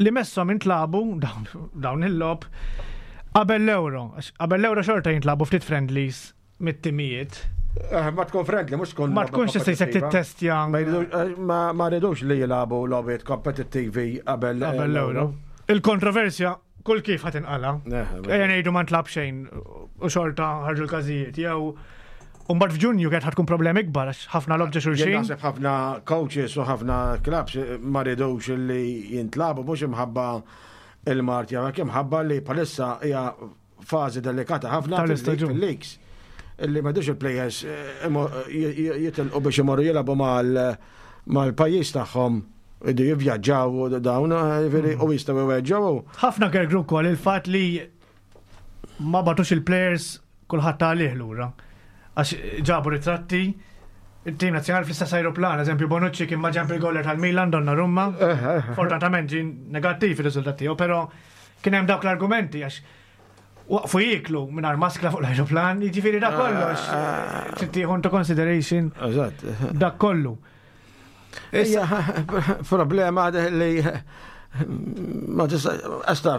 li messhom intlabu dawn il-logħob qabel l-Euro. Qabel l-Euro xorta jintlabu ftit friendlies mit-timijiet. Eh, ma tkun friendly, mux tkun. Ma tkunx tista' jsek tittestja. Eh, ma rridux li jilagħbu logħbiet kompetittivi qabel eh, qabel l-Euro. Il-kontroversja kull kif ħadd inqala. Ejja ngħidu ma ntlab xejn u xorta ħarġu l-każijiet jew Umbagħad f'Ġunju kienet ħatkun problemi ikbar għax ħafna logħob ġo xulxin. Naħseb ħafna coaches u ħafna clubs ma ridux li jintlabu mhux imħabba il-mart jew hekk imħabba li bħalissa hija fażi delikata ħafna tal-istaġun fil-leagues illi ma il-players eh, jitilqu biex imorru jilagħbu mal-pajjiż tagħhom idu jivvjaġġaw dawn eh, jiġifieri, u jistgħu jweġġgħu. Ħafna kergru wkoll il-fatt li ma batux il-players kulħadd għalih lura. Għax ġabu ritratti il-tim nazzjonali fl-istess aeroplan, eżempju Bonucci kien ma ġemp il-goller tal-Milan Donnarumma. Eh, Fortunatament ġie negattiv ir-riżultat tiegħu, però Kien hemm dawk l-argumenti għax waqfu jieklu mingħajr maskla fuq l-aeroplan, jiġifieri dak kollox ah. trid tieħu into consideration. Eżatt. Dak kollu. Issa problema li ma tista' għasta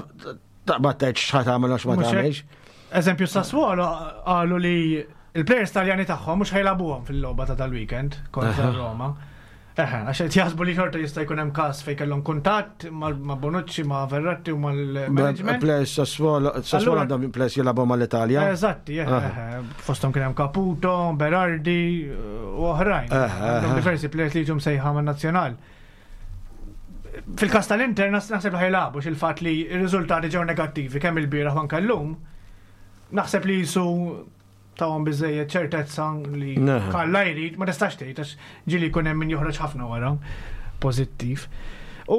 taqbad tgħid x'ħa tagħmel għax ma tagħmilx. Eżempju Sassuolo qalu li il-players taljani tagħhom mhux ħajlabuhom fil-logħba ta' tal-weekend kontra Roma. Eħe, għax qed jaħsbu li xorta jista' jkun hemm każ fejn kellhom kuntatt ma' Bonucci, ma' Verratti u mal-management. Players Sassuolo, Sassuolo għandhom players jilagħbu mal-Italja. Eżatti, eħe. Fosthom kien hemm Caputo, Berardi u oħrajn. Għandhom diversi players li jiġu msejħa man-nazzjonal. Fil-każ tal-Inter naħseb li ħajlabu x'il-fatt li r-riżultati ġew negattivi kemm il-bieraħ u anke llum. Naħseb li jisu tawhom biżejjed ċertezza li kalla jrid, ma tistax tgħid għax ġieli jkun hemm min joħroġ ħafna wara pożittiv. U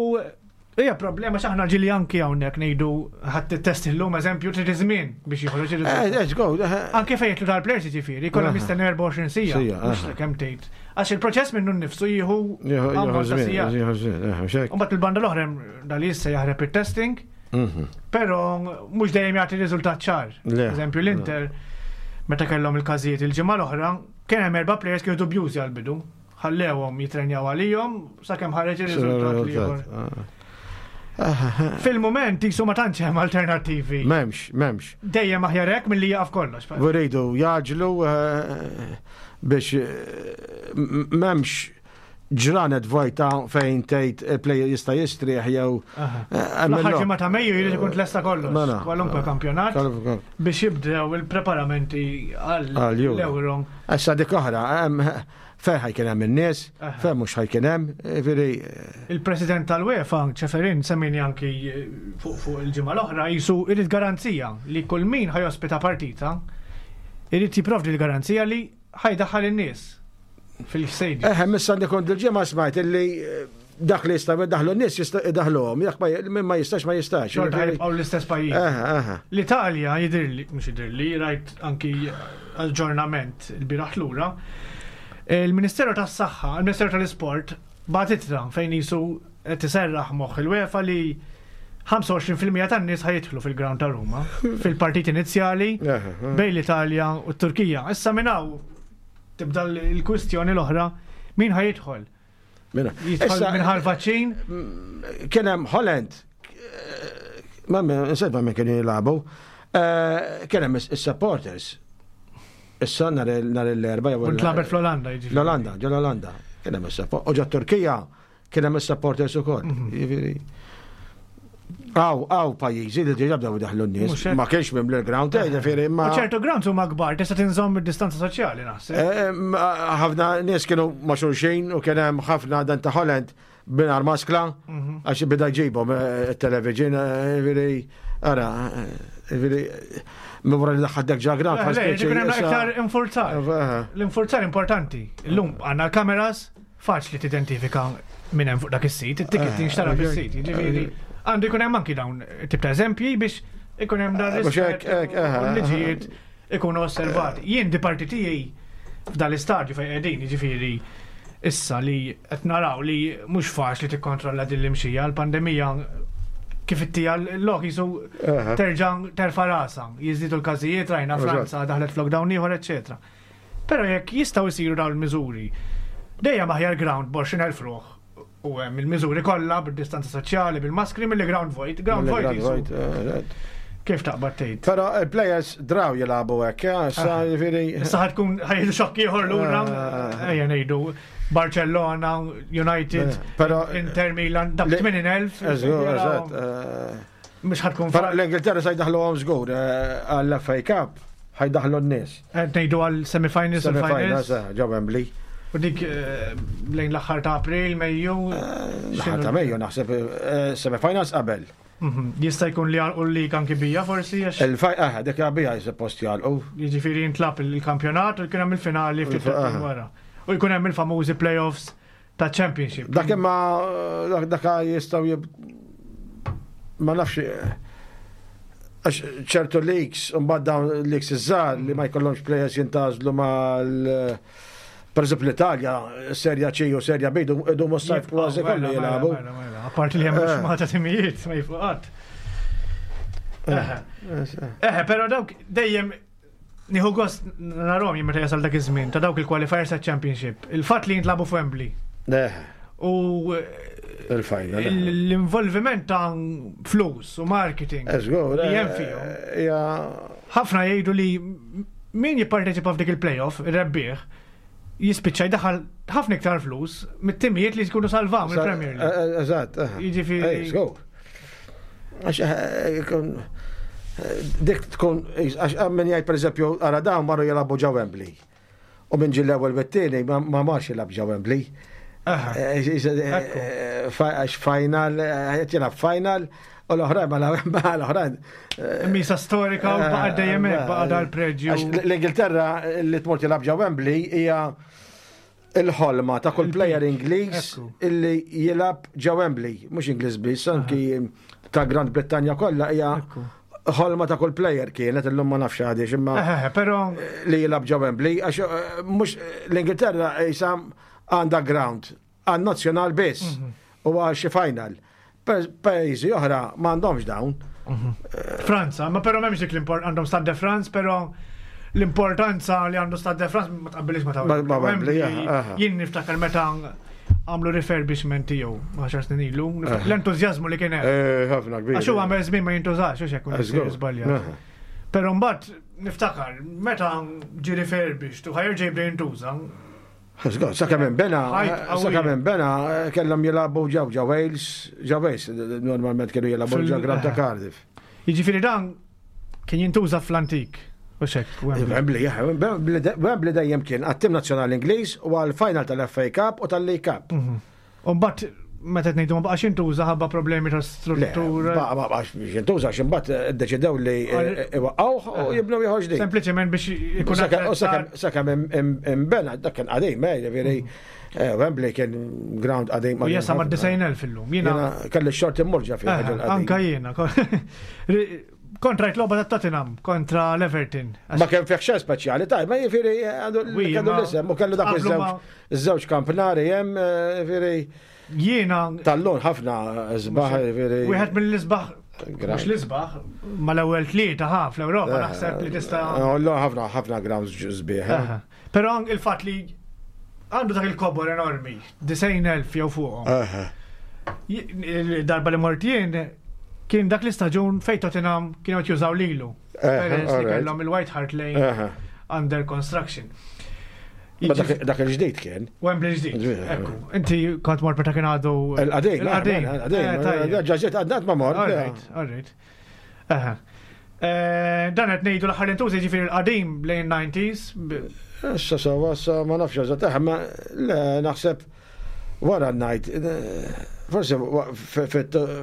hija problema x'aħna ġieli anki hawnhekk ngħidu ħadd test illum eżempju trid iż-żmien biex joħroġ ir-riżultat. Eh, eh, eh. Anke fejn jitlu tal-players jiġifieri, kollha mistenni 24 sija, mhux kemm tgħid. Għax il-proċess minnu nnifsu jieħu ammont ta' sigħat. U mbagħad il-banda l-oħra dal issa jaħreb it-testing Mhm. Però mhux dejjem jagħti riżultat ċar. Eżempju l-Inter meta kellhom il-każijiet il-ġimgħa l-oħra, kien hemm erba' players kienu dubjużi għall-bidu. Ħallewhom jitrenjaw għalihom sakemm ħareġ ir-riżultat l-ieħor. Ah. Fil-moment jisu ma tantx hemm alternattivi. M'hemmx, m'hemmx. Dejjem aħjar hekk milli jaqaf kollox. Uridu jaġlu eh, biex eh, m'hemmx ġranet vojta fejn tgħid il-player jista' jistrieħ jew. Eh, L-aħħar ġimgħa ta' Mejju jrid ikun tlesta kollox. Mela. Kwalunkwe kampjonat biex jibdew il-preparamenti għall-Euro. Issa dik oħra, fejn ħajkien hemm in-nies, fejn mhux ħajkien hemm, jiġifieri. Il-President tal-UEFA, Ceferin, semmini anki eh, fuq il-ġimgħa l-oħra, jisu irid garanzija li kull min ħajospita partita irid jipprovdi l-garanzija li ħajdaħħal in-nies fil-stadium. Eħe, missa li kont il-ġimgħa smajt illi eh, Dak li jistgħu jdaħlu n-nies jistgħu jdaħluhom, jekk ma ma jistax ma jistax. Xorta jibqgħu l-istess pajjiż. L-Italja jidhirli, mhux jidhirli, rajt anki aġġornament il-bieraħ lura. Il-Ministeru tas-Saħħa, il-Ministeru tal-Isport bagħat ittra fejn jisu qed iserraħ moħħ il-UEFA li 25% tan-nies ħajidħlu fil-ground ta' Ruma fil-partit inizjali bejn l-Italja u t-Turkija. Issa minn hawn tibda l-kwistjoni l-oħra min ħajidħol. Jidħol minħal vaċċin? Kien hemm Holland, ma nsejt ma minn kienu jilagħbu, eh, kien hemm is-supporters. Issa nhar l-erba' jew. Ntlabet fl-Olanda jiġifieri. L-Olanda, ġo l-Olanda. Kien hemm is-support. U ġo Turkija kien hemm is-supporters ukoll. Mhm. Jiġifieri. Għaw, għaw pajjiżi li diġa bdew daħlu n-nies. Ma kienx minn l-ground, eh, ġifieri ma. ċertu grounds huma kbar, tista' tinżomm id-distanza soċjali naħseb. Eh, eh, ħafna nies kienu ma' xulxin u kien hemm ħafna dan ta' Holland binar maskla, mhm. għax bida ġibhom it-television, ġifieri, ara, ġifieri, minn wara li daħħal dak ġa ground. Iktar infurzar. L-infurzar importanti. Illum għandna l-kameras, Faċli tidentifika min hemm fuq dak is-sit, it-ticket eh, tinxtara fis-sit, jiġifieri għandu jkun hemm anki dawn tip ta' eżempji biex ikun hemm dan rispett u l-liġijiet ikunu osservati. Jien di parti tiegħi f'dan l-istadju fejn qegħdin, jiġifieri issa li qed naraw li mhux faċli tikkontrolla din l-imxija, l-pandemija kif ittija l-lok jisu terġa' terfa' rasa, jiżdiedu l-każijiet rajna Franza daħlet f'lockdown ieħor, eċċetera. Però jekk jistgħu jsiru dawn il-miżuri, dejjem aħjar ground b'20,000 ruħ u hemm il-miżuri kollha bid-distanza soċjali, bil-maskri milli ground vojt. Ground vojt eh, Kif taqbad tgħid? Però il-players draw jilagħbu hekk, eh, issa ah. jiġifieri. Issa ħad tkun ħajdu xokk ieħor lura, eh. ejja ngħidu Barcellona, United, Inter Milan, dak 80,000. Eżatt. Mhux ħad tkun. Però l-Ingilterra se jdaħluhom żgur għall-FA Cup ħajdaħlu n-nies. Qed ngħidu għal semifinals u finals. Eh, ġo Wembley. U dik eh, lejn l-aħħar ta' April, Mejju. Eh, l-aħħar ta' Mejju naħseb semifinals qabel. Mhm. Jista' jkun li għalqu l-lig anki bija forsi għax. Il-faj, eh, dik bija suppost jgħalqu. Jiġifieri jintlab il-kampjonat u jkun hemm il-finali ftit wara. U jkun hemm il-famużi playoffs ta' championship. Dak imma dak jistgħu ma nafx għax ċertu leaks, mbagħad dawn leaks iż-żgħar li ma jkollhomx players jintażlu mal Per eżempju l-Italja, Serja C u Serja B, idu s-sajf kważi kollu mela, jilagħbu. Mela, mela, Apparti li hemm eh. xmata timijiet ma jifqat. Eh. Eh, però dawk dejjem Nieħu gost narhom jien meta jasal dak iż-żmien ta' dawk il-qualifiers ta' Championship. Il-fatt li jintlagħbu f'Wembley. U il-final. L-involviment ta' flus u marketing. Eżgur. Li hemm fihom. Ħafna jgħidu li min jipparteċipa f'dik il-playoff, ir-rebbieħ, jispiċċa jdaħħal ħafna iktar flus mit-timijiet li jkunu salvaw mill-Premier League. Eh, eh, eżatt. Eh. Jiġifieri. Żgur. Għax dik tkun għax min jgħid pereżempju ara dawn marru jilagħbu ġo Wembley. U minn ġil l-ewwel bit-tieni ma marx jilgħab ġo Wembley. Għax final, qed jilgħab final, U l-oħrajn ma l-oħrajn. Eh, Misa storika u baqa' dejjem hekk baqa' dal-preġju. L-Ingilterra li tmur tilgħab ġew Wembley hija il-ħolma ta' kull player Ingliż illi jilgħab ġew Wembley, mhux Ingliż biss, anki ta' Grand Brittanja kollha hija ħolma ta' kull player kienet illum ma nafx għadix imma eh, eh, però li jilgħab ġew Wembley għax mhux l-Ingilterra jisam għandha ground għan-nazzjonal biss mhm. u għal xi final. Pajjiżi oħra m'għandhomx dawn. Mhm. Franza, ma però m'hemmx dik l-import għandhom Stade de France, però l-importanza li għandu Stade de France ma tqabbilix ma ta' Wembley. Jien niftakar meta għamlu refurbishment tiegħu 10 snin ilu, l-entużjażmu li kien hemm. Eh, ħafna kbir. Għax huwa għamel żmien ma jintużax, u xekk żbaljat. Però mbagħad niftakar meta ġie refurbished u ħajerġa' jibda jintuża, Sakemm inbena, sakemm inbena, kellhom jilagħbu ġew ġew Wales, ġew Wales, normalment kienu jilagħbu ġew Grand ta' Cardiff. Jiġifieri dan kien jintuża fl-antik. U xek, Wembley, Wembley dejjem kien għat-tim nazzjonali Ingliż u għal-final tal-FA Cup u tal-League Cup. Mhm. U mbagħad meta qed ngħidu ma baqax jintuża ħabba problemi ta' struttura. Ma baqax jintuża għax imbagħad iddeċidew li iwaqqgħuh u eh, jibnu ieħor ġdid. Sempliċement biex ikun Sakemm imbena dak kien qadim, eh, jiġifieri mm. Eh, Wembley kien ground qadim. U jesa ma' 90,000 illum. Jiena kelli xort immurġa fih. Eh, anka jiena. Kontra jtloba ta' Tottenham, kontra l-Everton. Ma kien fih xejn speċjali, taj, ma jifieri għandu l-isem u kellu dak iż-żewġ kampnari hemm, eh, jifieri. Jiena. Tal-lon ħafna sbaħ, jifieri. Wieħed mill-isbaħ Mhux l-isbaħ, mal-ewwel tlieta ħa fl-Ewropa naħseb li tista' ħafna ħafna grounds sbieħ. Però il-fatt li għandu dak il-kobor enormi, 90,000 jew fuqhom. Darba li mort jien kien dak l-istaġun fejn Tottenham kienu qed jużaw lilu. Peress li kellhom il-White Hart Lane under construction. Dak il-ġdid kien. Wembley ġdid. Ekku. Inti kont mort meta kien għadu. Il-qadim. Il-qadim. Il-qadim. Ġaġġet għadnat ma mort. All right, all right. Eh, dan qed ngħidu l-aħħar intużi ġifieri l-qadim lejn 90s. Issa sawa sa ma nafx eżatt, eh, ma le naħseb wara ngħid eh, forsi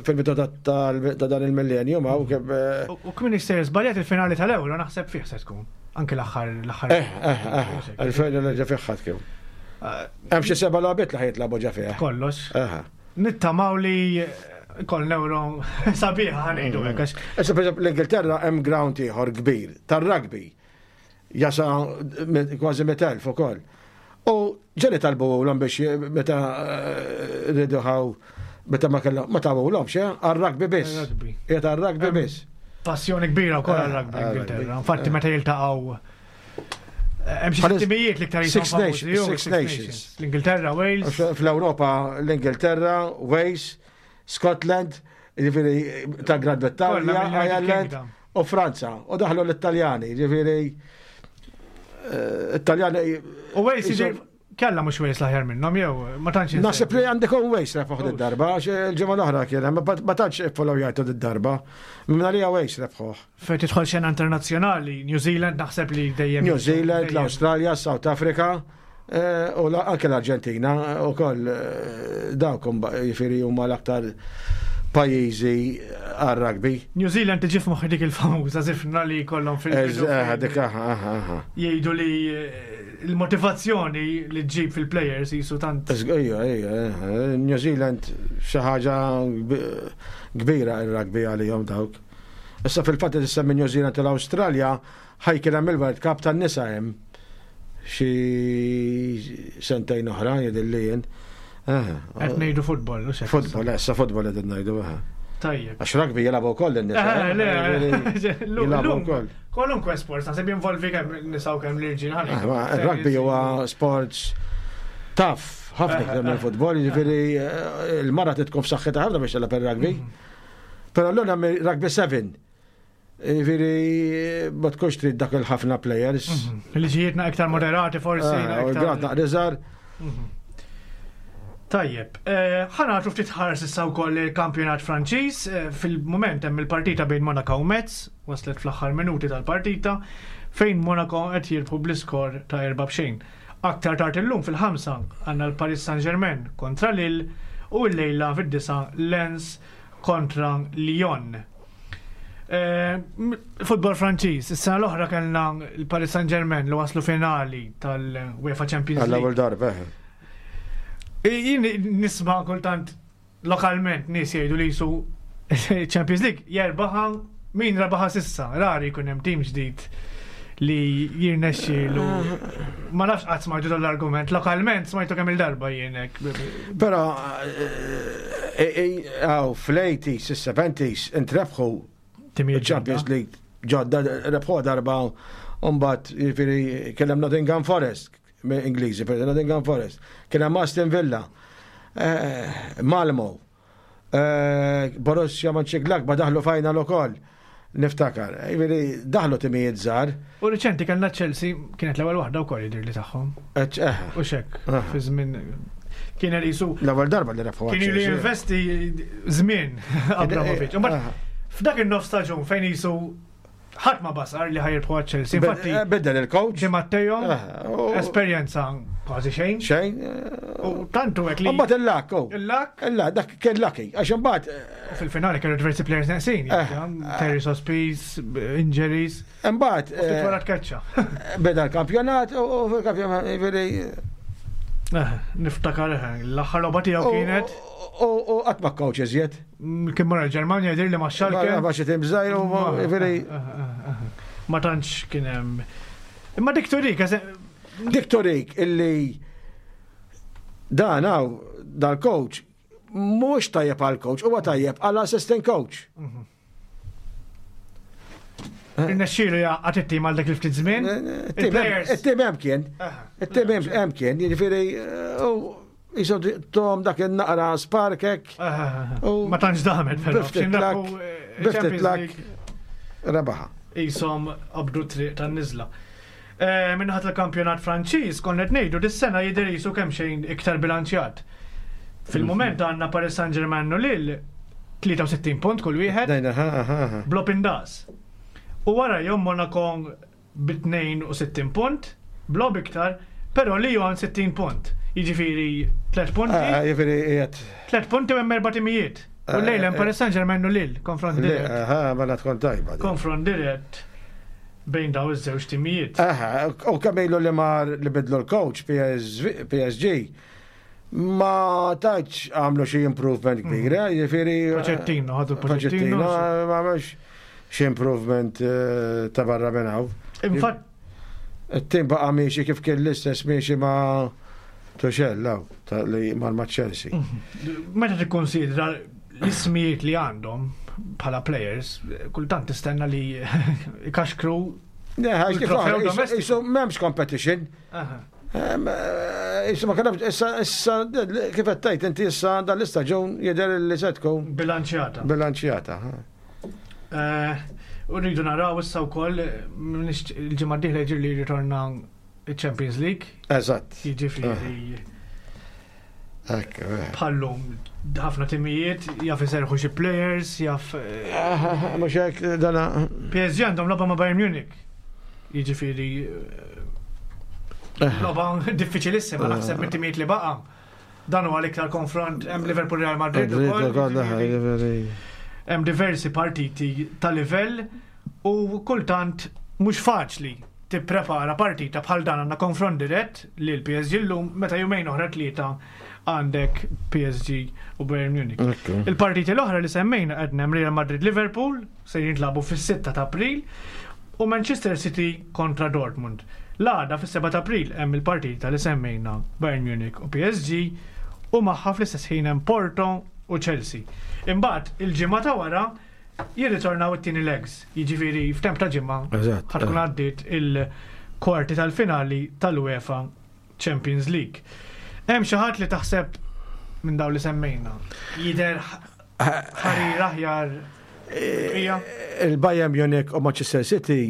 fil-bidu ta' dan il-millennium hawn kif. U kmin jista' żbaljat il-finali tal-Euro naħseb fih se tkun. Anke l-aħħar l-aħħar. Eh, eh, eh, il-finali ġa fih ħadd kien. Hemm xi seba' logħbiet li ħajtlagħbu ġa fih. Kollox. Nittamaw li kol euro sabiħa ħanejdu hekk. Issa per l-Ingilterra hemm ground ieħor kbir tar-rugby. Jasa kważi 100,000 ukoll. U ġeli talbu l biex meta eh, riduħaw meta ma kellhom ma tawulhom xe għar-rugby biss. Qiegħed għar-rugby biss. Passjoni kbira wkoll għar-rugby eh, Ingilterra. Infatti meta jiltaqgħu Hemm xi timijiet li iktar Six Nations, Six Nations. L-Ingilterra, Wales. Fl-Ewropa l-Ingilterra, Wales, Scotland, jiġifieri ta' Gran Brittanja, Ireland u Franza. U daħlu l-Italjani, jiġifieri eh, Italjani. U Wales Kella mhux Wales l-aħjar minnhom jew ma tantx. Naħseb li għandek un Wales rebħuh darba għax il-ġimgħa l-oħra kien ma tantx iffollowjajtu d-darba. Minn għalija Wales rebħuh. Fejn tidħol xena internazzjonali, New Zealand naħseb li dejjem. New Zealand, l-Awstralja, South Africa eh, u anke l-Arġentina u koll eh, dawk jifieri huma l-aktar pajjiżi għar-rugby. New Zealand tiġi f'moħħi dik il-famuża zifna li kollhom fil-bidu. Eh, dik aha. Jgħidu li il-motivazzjoni li ġġib fil-players jisu tant. Ejja, ejja, New Zealand xi ħaġa kbira ir-rugby għalihom dawk. Issa fil-fatt li tissemmi New Zealand u l-Awstralja ħajkien hemm il-World Cup tan-nisa hemm xi sentejn oħra jidhirli jien. Qed ngħidu futbol, u Futbol, issa futbol qed ngħidu. Tajjeb. Għax rugby jilagħbu wkoll in-nisa. Jilagħbu wkoll. Kwalunkwe sport, naħseb jinvolvi kemm nisa u kemm l-irġiel. Ah, rugby huwa sports taf ħafna iktar mill-futbol, jiġifieri eh, il-mara titkun f'saħħitha ħafna biex tilgħab ir-rugby. Mhm. Però l hemm rugby 7. Jiġifieri ma tkunx trid dak il-ħafna players. Mhm. Liġijietna iktar moderati forsi. Ah, iktar. Naqra mhm. Tajjeb, eh, ħa nagħtu ftit ħars issa wkoll il-kampjonat Franċiż, eh, fil-mument hemm il-partita bejn Monaco u Metz, waslet fl-aħħar minuti tal-partita, fejn Monaco qed jirbħu bl-iskor ta' erba' b'xejn. Aktar tard illum fil-ħamsa għandna l-Paris Saint-Germain kontra Lille u llejla fid-disgħa Lens kontra Lyon. Eh, futbol Franċiż, is-sena l-oħra kellna l-Paris Saint-Germain li waslu finali tal-UEFA Champions League. Għall-ewwel darba. Jien nisma' kultant lokalment nies jgħidu li jisu Champions League jerbaħa min rebaħa sissa, rari jkun hemm tim ġdid li jirnexxielu. Ma nafx qatt smajtu dan l-argument, lokalment smajtu kemm il-darba jien hekk. Però eh, eh, eh, fl-80s, is-70s intrebħu Champions League ġodda rebħu darba u mbagħad jiġifieri kien hemm Nottingham Forest Ingliżi, per Nottingham Forest, kien hemm Aston Villa, eh, Malmo, eh, Borussia Mönchengladbach daħlu final ukoll. Niftakar, jiġifieri daħlu timijiet żgħar. U riċenti kellna Chelsea kienet l-ewwel waħda wkoll jidhir li tagħhom. Eh, U xek, fi żmien kien jisu. L-ewwel darba li rebħu. Kien ilu jinvesti żmien Abramovic. F'dak in-nofs staġun fejn jisu ħadd ma basar li ħajrbħu għal Chelsea. Infatti, eh, biddel il-coach. Di Matteo, eh, esperjenza kważi xejn. Xejn. U tantu hekk li. Mbagħad il-lak, oh. Il-lak. Il-lak, dak kien lucky, għax imbagħad. Eh, fil-finali kienu diversi players neqsin, Terry Sospis, injuries. Imbagħad. Ftit wara tkeċċa. Beda l-kampjonat u fil-kampjonat, jiġifieri. Eh, niftakar eh, l-aħħar logħba tiegħu kienet. U qatt ma coach iżjed. Mm, kien mara l-Ġermanja jidher li ma Schalke. Ma xi tim żgħir u veri. Eh, ma tantx kien hemm. Imma dik turik, Dik turik illi dan hawn dal-coach mhux tajjeb għal coach, huwa tajjeb għal assistant coach. Mhm. Irnexxielu jgħaqqad it-tim għal dak il-ftit żmien. It-tim hemm kien. It-tim hemm kien, jiġifieri u jisu tom dak il-naqra sparkek. Ma tantx damet però. Biftit lak rebaħa. Isom qabdu triq tan-niżla. Eh, Minnaħat tal-kampjonat Franċiż konna qed ngħidu dis-sena jidher jisu kemm xejn iktar bilanċjat. Fil-mument għandna Paris Saint-Germain u Lille 63 punt kull wieħed. Blob indas. U wara jom Monaco bi 62 punt, blob iktar, però Lyon 60 punt. Jiġifieri 3 punti. Ah, jiġifieri qiegħed. 3 punti u hemm erba' timijiet. U eh, lejla hemm eh, Paris Saint-Germain u Lille, konfront dirett. Aha, mela tkun tajba. Konfront dirett bejn daw iż-żewġ timijiet. Aha, u kemm ilu li mar li bidlu l-coach PSG ma taċ għamlu xi improvement kbira, mhm. jiġifieri. Pochettino, ħadu Pochettino. Ma għamlux xi improvement eh, ta' barra minn hawn. Infatt. It-tim baqa' miexi kif kien l-istess miexi ma' Tuchel, law, li mar ma' Chelsea. Mhm. Meta tikkonsidra l-ismijiet li għandhom bħala players, kultant tistenna li ikaxkru. Isu memx competition. Eh, isu ma kellhomx issa issa kif qed tgħid inti issa dan l-istaġun jidher li se tkun bilanċjata. Bilanċjata. Eh, u rridu naraw issa wkoll il-ġimgħa d-dieħla jiġri li jirritorna il-Champions League. Eżatt. Jiġifieri. Eh. Bħallum ħafna timijiet jaf iserħu xi players, jaf. Mhux hekk dana. PSG għandhom logħba ma' Bayern Munich. Jiġifieri eh. logħba diffiċilissima naħseb mit-timijiet li baqa'. Dan huwa l-iktar konfront hemm Liverpool Real Madrid ukoll. Hemm diversi partiti ta' livell u kultant mhux faċli tipprepara partita bħal dan għandna konfront dirett li l-PSG llum meta jumejn oħra tlieta għandek PSG u Bayern Munich. Il-partiti l-oħra li semmejna qed hemm Real Madrid Liverpool se jintlagħbu fis-6 ta' April u Manchester City kontra Dortmund. L-għada fis-7 ta' April hemm il-partita li semmejna Bayern Munich u PSG u magħha fl-istess ħin hemm Porto u Chelsea. Imbagħad il-ġimgħa ta' wara jirritornaw it-tieni legs, jiġifieri f'temp ta' ġimgħa ħa tkun għaddiet il-kwarti tal-finali tal-UEFA Champions League. Hemm xi ħadd li taħseb minn dawn li semmejna jidher ħarir aħjar eh, Il-Bayern Munich u Manchester City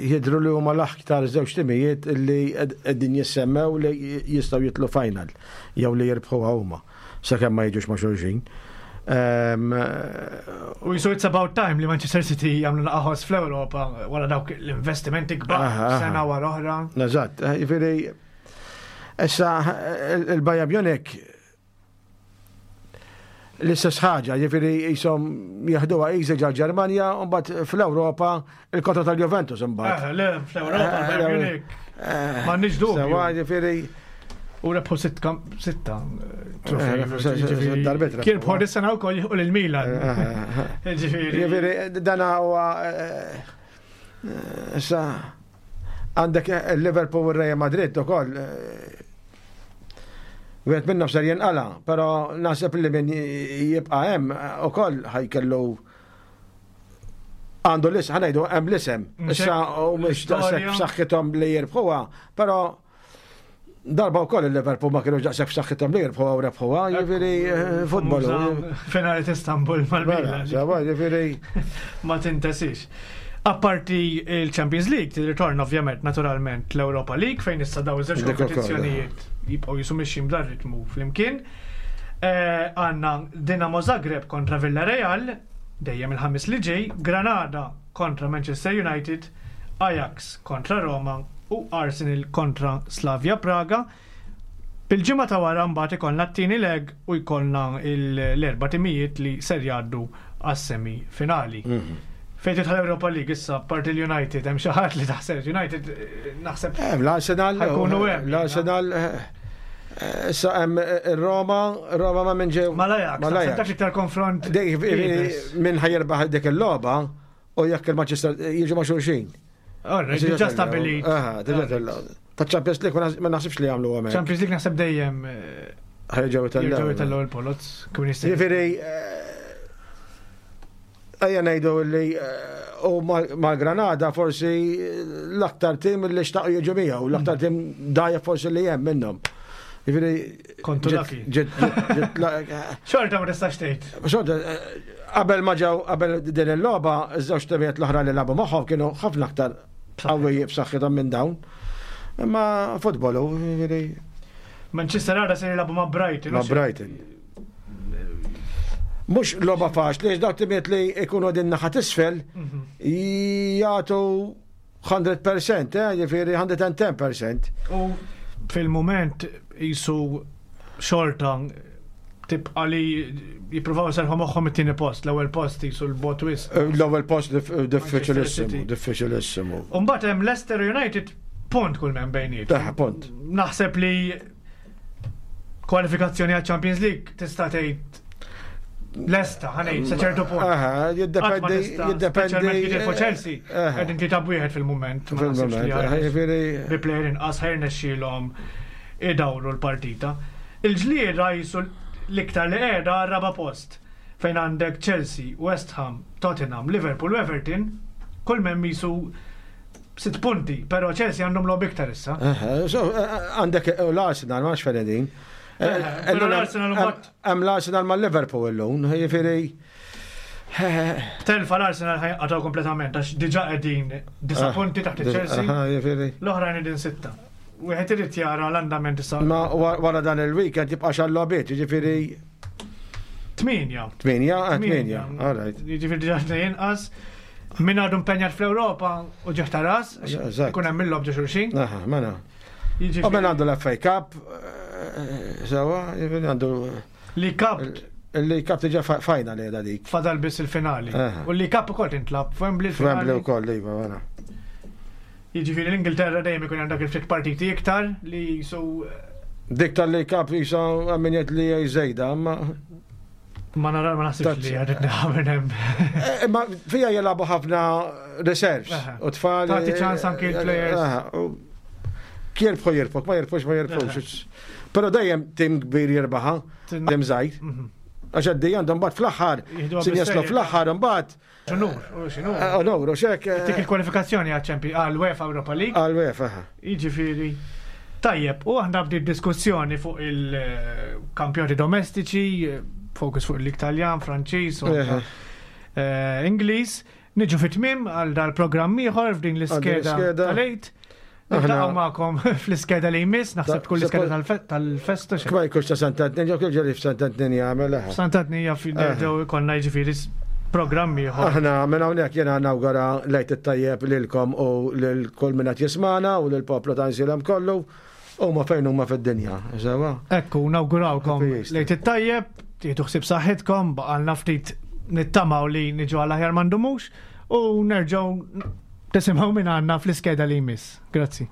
jidhru li huma l-aktar żewġ timijiet li qegħdin jissemmew li jistgħu jitlu final jew li jirbħuha huma. Sakemm ma jiġux ma' xulxin. U jisu it's about time li Manchester City jagħmlu naqaħos fl-Ewropa wara dawk l-investimenti kbar sena wara oħra. Eżatt, eh, jiġifieri issa il-Bayern Munich l-istess ħaġa, jiġifieri jisom jieħduha easy ġal Ġermanja u mbagħad fl-Ewropa il-kontra tal-Juventus imbagħad. Eh, le, fl-Ewropa eh, Bayern Munich. M'għandniex dubju. Sewa, jiġifieri U rebħu sitta trofej. Kien bħor is-sena wkoll jieħu lil Milan. Ġifieri dan huwa issa għandek Liverpool u Real Madrid ukoll. Wieħed minnhom ser jinqala, però naħseb li min jibqa' hemm ukoll ħajkellu għandu l-isem, ħanajdu hemm l-isem. Issa u mhux daqshekk b'saħħithom li jirbħuha, però Darba wkoll il-Liverpool ma kienux daqshekk f'saħħithom li jirbħuha u rebħuha, jiġifieri eh, futbol. Finali t'Istanbul mal-Milan. Mela, jiġifieri. Ma tintesix. Apparti il-Champions League, tirritorna ovvjament naturalment l-Europa League fejn issa daw iż-żewġ kompetizzjonijiet jibqgħu jisu mixjin b'dan ritmu flimkien. Eh, għandna Dinamo Zagreb kontra Villarreal, dejjem il-ħamis li ġej, Granada kontra Manchester United, Ajax kontra Roma u Arsenal kontra Slavia Praga. Bil-ġimgħa ta' wara mbagħad ikollna t-tieni leg u jkollna l-erba' timijiet li ser jgħaddu għas-semi finali. Mhm. Fejn tidħol Europa League issa parti l-United hemm xi ħadd li taħseb United eh, naħseb. Hemm l-Arsenal. Ħajkunu hemm. L-Arsenal eh, Issa hemm Roma, Roma ma minn ġew. Mal-Ajax, naħseb dak iktar konfront. Min ħajerbaħ dik il-logħba u jekk il-Manchester jiġu ma' xulxin. Diġà stabilit. Diġà Ta' Champions League ma naħsibx li jagħmlu għamel. Champions League naħseb dejjem ħajġew itellgħu itellgħu il-polots kif jista' Jiġifieri ejja ngħidu li u mal-Granada forsi l-aktar tim li xtaqu jiġu miegħu, l-aktar tim dajja forsi li hemm minnhom. Jiġifieri Kontu lucky. Xorta ma tistax tgħid. Xorta qabel ma ġew qabel din il-logħba, iż-żewġ timijiet l-oħra li lagħbu magħhom kienu ħafna aktar qawwi b'saħħithom minn dawn. Imma futbol hu, jiġifieri. Manchester għada se jilagħbu ma' Brighton. Ma' Brighton. Mhux logħba faċli, għax dawk timijiet li jkunu din naħa t'isfel mhm. jagħtu 100%, eh, jiġifieri 110%. U fil-mument jisu xorta tibqa li jippruvaw serħu moħħhom it-tieni post, l-ewwel post jisu l-bot wis. Eh, l-ewwel post diffiċilissimu, diffiċilissimu. Umbagħad hemm Leicester United punt kull men bejniet. Eh, punt. Naħseb li kwalifikazzjoni għal Champions League tista' tgħid lesta, ħanej, sa ċertu punt. Aha, jiddependi, jiddependi. Speċjalment jitilfu Chelsea, qegħdin tlieta b'wieħed fil-mument. Fil-mument, jiġifieri. Bi plejer inqas ħajr nexxielhom idawru l-partita. Il-ġlieda jisu l-iktar li qiegħda raba' post fejn għandek Chelsea, West Ham, Tottenham, Liverpool u Everton, kull m'hemm jisu Sitt punti, però Chelsea għandhom logħob iktar issa. Għandek l-Arsenal, ma nafx fejn qegħdin. Però l-Arsenal mbagħad. Hemm l-Arsenal ma' Liverpool illum, jiġifieri. Telfa l-Arsenal ħajqatgħu kompletament għax diġà qegħdin disa' punti taħt il-Chelsea. L-oħrajn qegħdin sitta. Wieħed irid jara l-andament issa. Ma wara dan il-weekend jibqa' xal-logħbiet, jiġifieri. Tminja. Tminja, tminja, all right. Jiġifieri diġà inqas. Min għadu impenjat fl-Ewropa u ġieħ ta' ras, ikun hemm il-lob ġo xulxin. Aha, mela. U min għandu l-FA Cup, eh, sewa, jiġifieri għandu. Li Cup. Li Cup diġà final qiegħda dik. Fadal biss il-finali. U li Cup ukoll tintlab f'Wembley. F'Wembley ukoll, iva, mela. Jiġifieri l-Ingilterra dejjem ikun hemm dak il-ftit partiti iktar li jisu. Dik tal-li Cup jisa min jgħid li żejda, ma Ma nara ma naħsibx li għadet neħamil hemm. Eh, imma fija jilagħbu ħafna reserves u tfal. Tagħti ċans anki l-players. Kierbħu jirbħu, ma jirbħux ma jirbħux. Però dejjem tim kbir jirbaħa, tim żgħir. Mhm. Għax għaddej għandhom mbagħad fl-aħħar, sin jaslu fl-aħħar mbagħad Onur, u xinu. Eh, onur, u xek. Eh, Tik il-kwalifikazzjoni għal għal UEFA Europa League. Għal UEFA. Jiġifieri. Tajjeb, u aħna bdiet diskussjoni fuq il-kampjoni domestiċi, fokus fuq l-Italjan, Franċiż, u eh, Ingliż. Niġu fit-tmiem għal dal-programm ieħor f'din l-iskeda tal-għid. Niltaqgħu magħkom fl-iskeda li jmiss, naħseb tkun l-iskeda tal-festa. Kma jkunx ta' Sant'Antnin, jew kif ġeri f'Sant'Antnin jagħmel. Eh. Sant'Antnin hija fil-nerġgħu konna jiġifieri programmi ieħor. Aħna minn hawnhekk jiena nawgura lejt it-tajjeb lilkom u lil kull min qed jismana u lil poplu ta' Nsilem kollu huma fejn huma fid-dinja. Sewa? Ekku, nawgurawkom lejt it-tajjeb, tieħdu ħsieb saħħitkom, baqalna ftit nittamaw li niġu għal aħjar m'għandumux u nerġgħu Tisimgħu minn għandna fl-iskeda li jmiss. Grazzi.